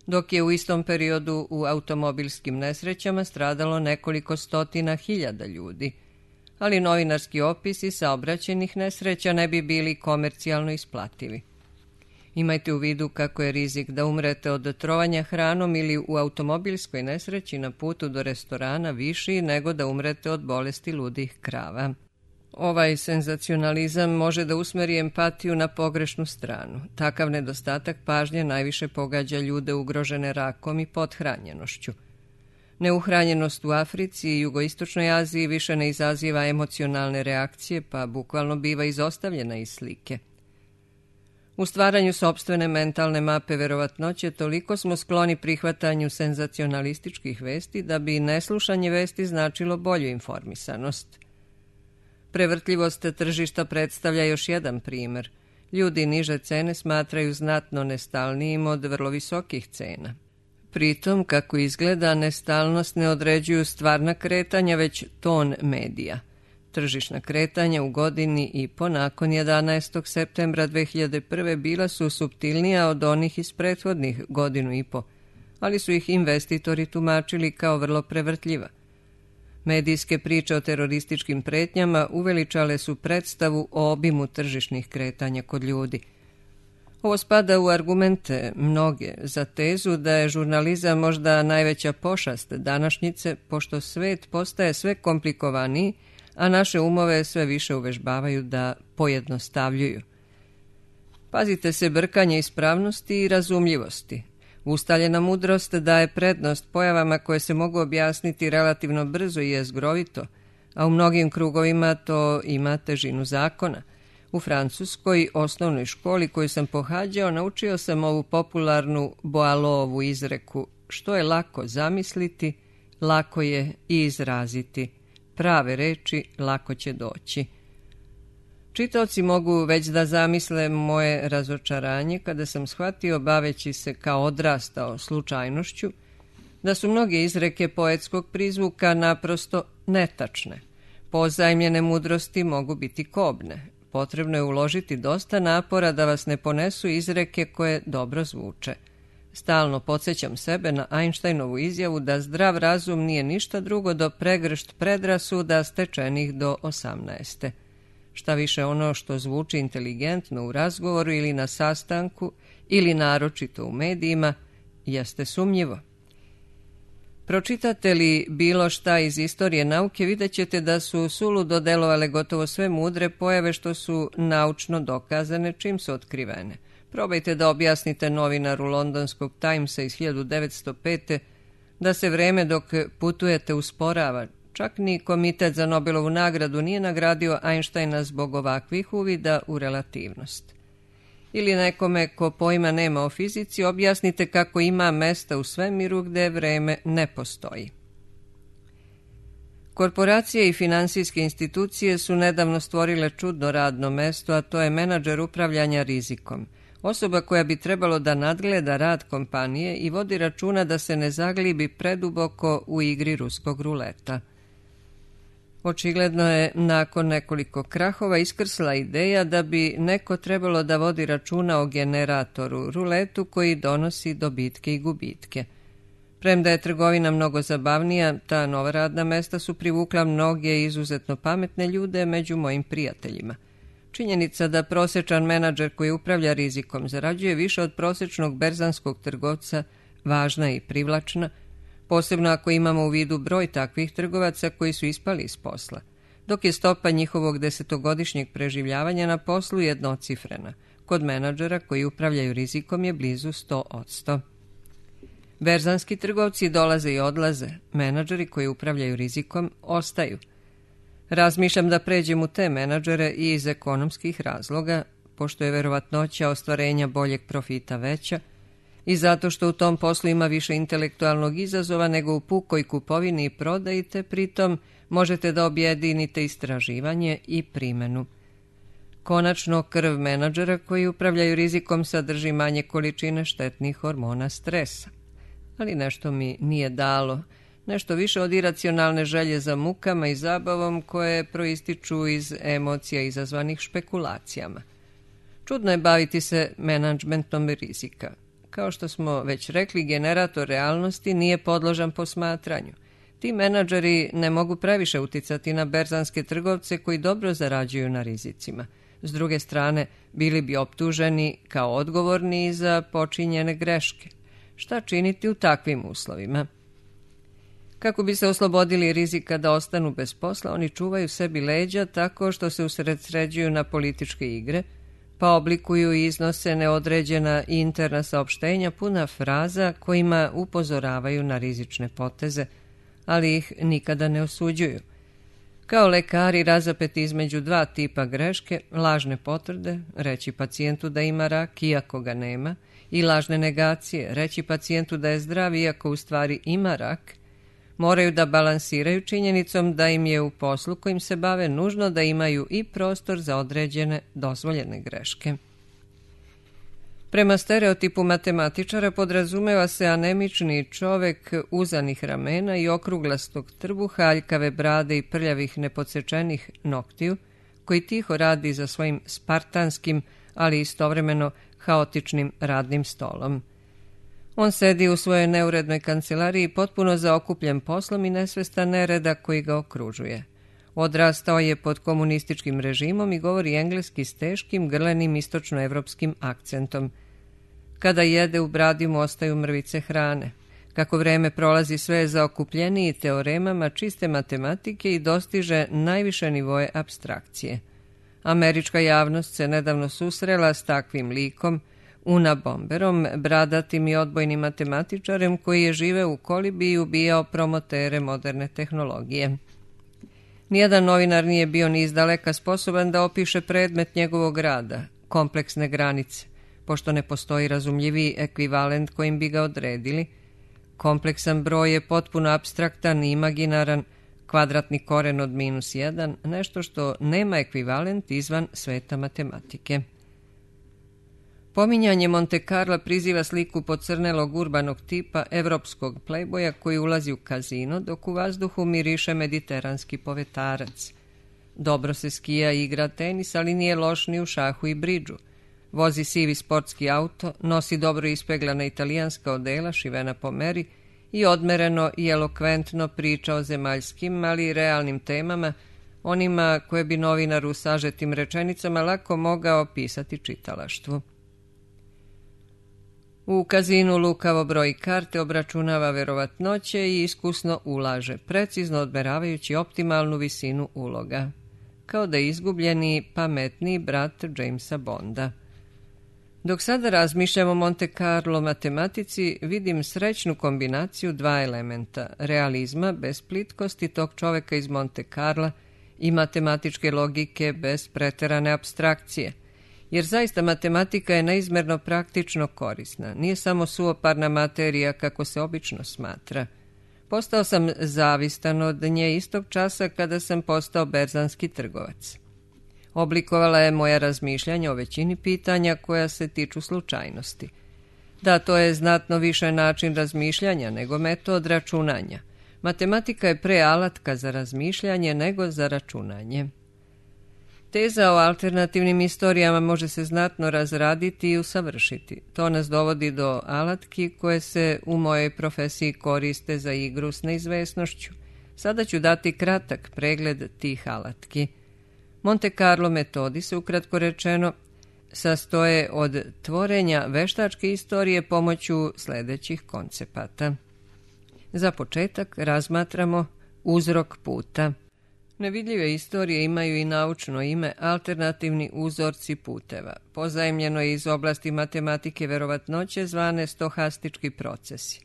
dok je u istom periodu u automobilskim nesrećama stradalo nekoliko stotina hiljada ljudi. Ali novinarski opisi saobraćajnih nesreća ne bi bili komercijalno isplativi. Imajte u vidu kako je rizik da umrete od trovanja hranom ili u automobilskoj nesreći na putu do restorana viši nego da umrete od bolesti ludih krava. Ovaj senzacionalizam može da usmeri empatiju na pogrešnu stranu. Takav nedostatak pažnje najviše pogađa ljude ugrožene rakom i pothranjenošću. Neuhranjenost u Africi i jugoistočnoj Aziji više ne izaziva emocionalne reakcije, pa bukvalno biva izostavljena iz slike. U stvaranju sopstvene mentalne mape verovatnoće toliko smo skloni prihvatanju senzacionalističkih vesti da bi neslušanje vesti značilo bolju informisanost. Prevrtljivost tržišta predstavlja još jedan primer. Ljudi niže cene smatraju znatno nestalnijim od vrlo visokih cena. Pritom, kako izgleda, nestalnost ne određuju stvarna kretanja, već ton medija. Tržišna kretanja u godini i po nakon 11. septembra 2001. bila su suptilnija od onih iz prethodnih godinu i po, ali su ih investitori tumačili kao vrlo prevrtljiva. Medijske priče o terorističkim pretnjama uveličale su predstavu o obimu tržišnih kretanja kod ljudi. Ovo spada u argumente mnoge za tezu da je žurnalizam možda najveća pošast današnjice, pošto svet postaje sve komplikovaniji, a naše umove sve više uvežbavaju da pojednostavljuju. Pazite se brkanja ispravnosti i razumljivosti. Ustaljena mudrost daje prednost pojavama koje se mogu objasniti relativno brzo i jezgrovito, a u mnogim krugovima to ima težinu zakona. U francuskoj osnovnoj školi koju sam pohađao naučio sam ovu popularnu Boileauovu izreku: što je lako zamisliti, lako je i izraziti. Prave reči lako će doći. Čitaoci mogu već da zamisle moje razočaranje kada sam shvatio, baveći se kao odrastao slučajnošću, da su mnoge izreke poetskog prizvuka naprosto netačne. Pozajmljene mudrosti mogu biti kobne. Potrebno je uložiti dosta napora da vas ne ponesu izreke koje dobro zvuče. Stalno podsjećam sebe na Einsteinovu izjavu da zdrav razum nije ništa drugo do pregršt predrasuda stečenih do 18. Šta više, ono što zvuči inteligentno u razgovoru ili na sastanku ili naročito u medijima jeste sumnjivo. Pročitate li bilo šta iz istorije nauke, vidjet ćete da su suludo delovale gotovo sve mudre pojave što su naučno dokazane čim su otkrivene. Probajte da objasnite novinaru londonskog Timesa iz 1905. da se vreme dok putujete usporava. Čak ni Komitet za Nobelovu nagradu nije nagradio Einsteina zbog ovakvih uvida u relativnost. Ili nekome ko pojma nema o fizici objasnite kako ima mesta u svemiru gde vreme ne postoji. Korporacije i finansijske institucije su nedavno stvorile čudno radno mesto, a to je menadžer upravljanja rizikom. Osoba koja bi trebalo da nadgleda rad kompanije i vodi računa da se ne zaglibi preduboko u igri ruskog ruleta. Očigledno je nakon nekoliko krahova iskrsla ideja da bi neko trebalo da vodi računa o generatoru, ruletu koji donosi dobitke i gubitke. Premda je trgovina mnogo zabavnija, ta nova radna mesta su privukla mnoge izuzetno pametne ljude među mojim prijateljima. Činjenica da prosječan menadžer koji upravlja rizikom zarađuje više od prosječnog berzanskog trgovca važna je i privlačna, posebno ako imamo u vidu broj takvih trgovaca koji su ispali iz posla, dok je stopa njihovog 10-godišnjeg preživljavanja na poslu jednocifrena. Kod menadžera koji upravljaju rizikom je blizu 100%. Berzanski trgovci dolaze i odlaze, menadžeri koji upravljaju rizikom ostaju. Razmišljam da pređem u te menadžere i iz ekonomskih razloga, pošto je verovatnoća ostvarenja boljeg profita veća, i zato što u tom poslu ima više intelektualnog izazova nego u pukoj kupovini i prodaji, te pritom možete da objedinite istraživanje i primenu. Konačno, krv menadžera koji upravljaju rizikom sadrži manje količine štetnih hormona stresa. Ali nešto mi nije dalo, nešto više od iracionalne želje za mukama i zabavom koje proističu iz emocija izazvanih špekulacijama. Čudno je baviti se menadžmentom rizika. Kao što smo već rekli, generator realnosti nije podložan posmatranju. Ti menadžeri ne mogu previše uticati na berzanske trgovce koji dobro zarađuju na rizicima. S druge strane, bili bi optuženi kao odgovorni za počinjene greške. Šta činiti u takvim uslovima? Kako bi se oslobodili rizika da ostanu bez posla, oni čuvaju sebi leđa tako što se usredsređuju na političke igre, pa oblikuju i iznose neodređena interna saopštenja puna fraza kojima upozoravaju na rizične poteze, ali ih nikada ne osuđuju. Kao lekari razapeti između dva tipa greške, lažne potvrde, reći pacijentu da ima rak iako ga nema, i lažne negacije, reći pacijentu da je zdrav iako u stvari ima rak, moraju da balansiraju činjenicom da im je u poslu kojim se bave nužno da imaju i prostor za određene dozvoljene greške. Prema stereotipu matematičara podrazumeva se anemični čovek uzanih ramena i okruglastog trbuha, aljkave brade i prljavih nepodsečenih noktiju, koji tiho radi za svojim spartanskim, ali istovremeno haotičnim radnim stolom. On sedi u svojoj neurednoj kancelariji potpuno zaokupljen poslom i nesvestan nereda koji ga okružuje. Odrastao je pod komunističkim režimom i govori engleski s teškim, grlenim istočnoevropskim akcentom. Kada jede, u bradi mu ostaju mrvice hrane. Kako vreme prolazi, sve je zaokupljeniji teoremama čiste matematike i dostiže najviše nivoje apstrakcije. Američka javnost se nedavno susrela s takvim likom, Unabomberom, bradatim i odbojnim matematičarem koji je živeo u kolibi i ubijao promotere moderne tehnologije. Nijedan novinar nije bio ni izdaleka sposoban da opiše predmet njegovog rada, kompleksne granice, pošto ne postoji razumljiviji ekvivalent kojim bi ga odredili. Kompleksan broj je potpuno apstraktan i imaginaran, kvadratni koren od -1, nešto što nema ekvivalent izvan sveta matematike. Pominjanje Monte Carla priziva sliku pocrnelog urbanog tipa evropskog plejboja koji ulazi u kazino, dok u vazduhu miriše mediteranski povetarac. Dobro se skija i igra tenis, ali nije loš ni u šahu i bridžu. Vozi sivi sportski auto, nosi dobro ispeglana italijanska odela šivena po meri i odmereno i elokventno priča o zemaljskim, ali i realnim temama, onima koje bi novinar u sažetim rečenicama lako mogao pisati čitalaštvu. U kazinu lukavo broji karte, obračunava verovatnoće i iskusno ulaže, precizno odmeravajući optimalnu visinu uloga. Kao da je izgubljeni, pametniji brat Jamesa Bonda. Dok sada razmišljam o Monte Carlo matematici, vidim srećnu kombinaciju dva elementa, realizma bez plitkosti tog čoveka iz Monte Carla i matematičke logike bez preterane apstrakcije. Jer zaista matematika je neizmerno praktično korisna, nije samo suvoparna materija kako se obično smatra. Postao sam zavistan od nje istog časa kada sam postao berzanski trgovac. Oblikovala je moja razmišljanja o većini pitanja koja se tiču slučajnosti. Da, to je znatno više način razmišljanja nego metod računanja. Matematika je pre alatka za razmišljanje nego za računanje. Teza o alternativnim istorijama može se znatno razraditi i usavršiti. To nas dovodi do alatki koje se u mojoj profesiji koriste za igru s neizvesnošću. Sada ću dati kratak pregled tih alatki. Monte Carlo metodi se, ukratko rečeno, sastoje od tvorenja veštačke istorije pomoću sljedećih koncepata. Za početak razmatramo uzrok puta. Nevidljive istorije imaju i naučno ime alternativni uzorci puteva. Pozajemljeno je iz oblasti matematike verovatnoće zvane stohastički procesi.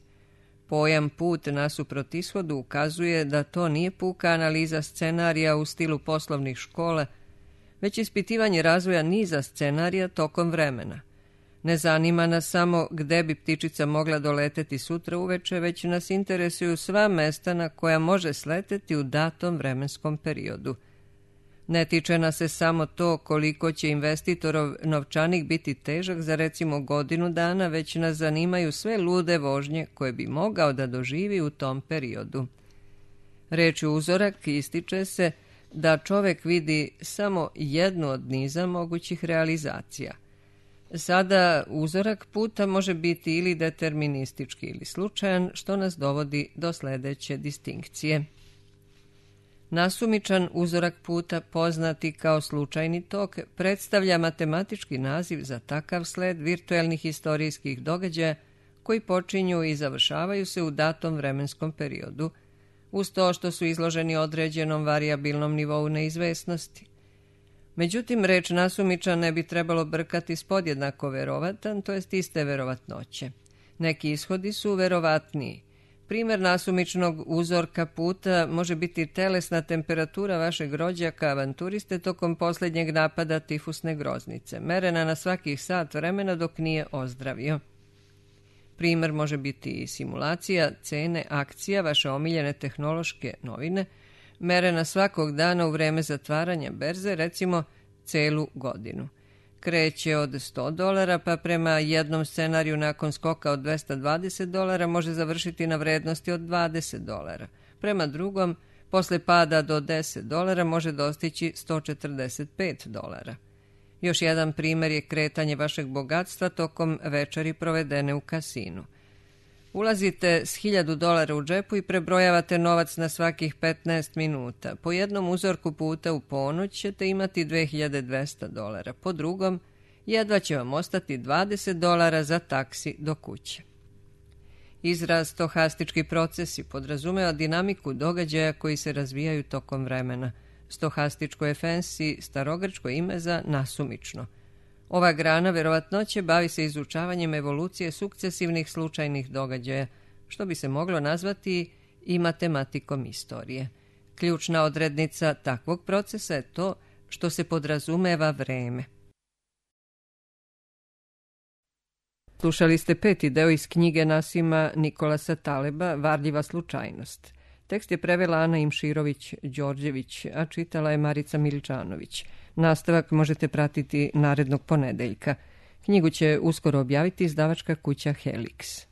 Pojam put nasuprot ishodu ukazuje da to nije puka analiza scenarija u stilu poslovnih škola, već ispitivanje razvoja niza scenarija tokom vremena. Ne zanima nas samo gde bi ptičica mogla doleteti sutra uveče, već nas interesuju sva mesta na koja može sleteti u datom vremenskom periodu. Ne tiče nas se samo to koliko će investitorov novčanik biti težak za recimo godinu dana, već nas zanimaju sve lude vožnje koje bi mogao da doživi u tom periodu. Rečju uzorak ističe se da čovek vidi samo jednu od niza mogućih realizacija. Sada uzorak puta može biti ili deterministički ili slučajan, što nas dovodi do sljedeće distinkcije. Nasumičan uzorak puta, poznati kao slučajni tok, predstavlja matematički naziv za takav sled virtuelnih historijskih događaja koji počinju i završavaju se u datom vremenskom periodu, uz to što su izloženi određenom varijabilnom nivou neizvesnosti. Međutim, reč nasumičan ne bi trebalo brkati s podjednako verovatan, to jest iste verovatnoće. Neki ishodi su verovatniji. Primjer nasumičnog uzorka puta može biti telesna temperatura vašeg rođaka avanturiste tokom posljednjeg napada tifusne groznice, merena na svakih sat vremena dok nije ozdravio. Primjer može biti i simulacija cene akcija vaše omiljene tehnološke novine, merena svakog dana u vreme zatvaranja berze, recimo celu godinu. kreće od $100, pa prema jednom scenariju nakon skoka od $220 može završiti na vrednosti od $20. Prema drugom, posle pada do $10 može dostići $145. Još jedan primjer je kretanje vašeg bogatstva tokom večeri provedene u kasinu. Ulazite s $1000 u džepu i prebrojavate novac na svakih 15 minuta. Po jednom uzorku puta u ponoć ćete imati $2200. Po drugom, jedva će vam ostati $20 za taksi do kuće. Izraz stohastički procesi podrazumeva dinamiku događaja koji se razvijaju tokom vremena. Stohastičko je fancy starogrčko ime za nasumično. Ova grana verovatnoće bavi se izučavanjem evolucije sukcesivnih slučajnih događaja, što bi se moglo nazvati i matematikom istorije. Ključna odrednica takvog procesa je to što se podrazumeva vreme. Slušali ste 5. deo iz knjige Nasima Nikolasa Taleba Varljiva slučajnost. Tekst je prevela Ana Imširović-Đorđević, a čitala je Marica Miličanović. Nastavak možete pratiti narednog ponedeljka. Knjigu će uskoro objaviti izdavačka kuća Helix.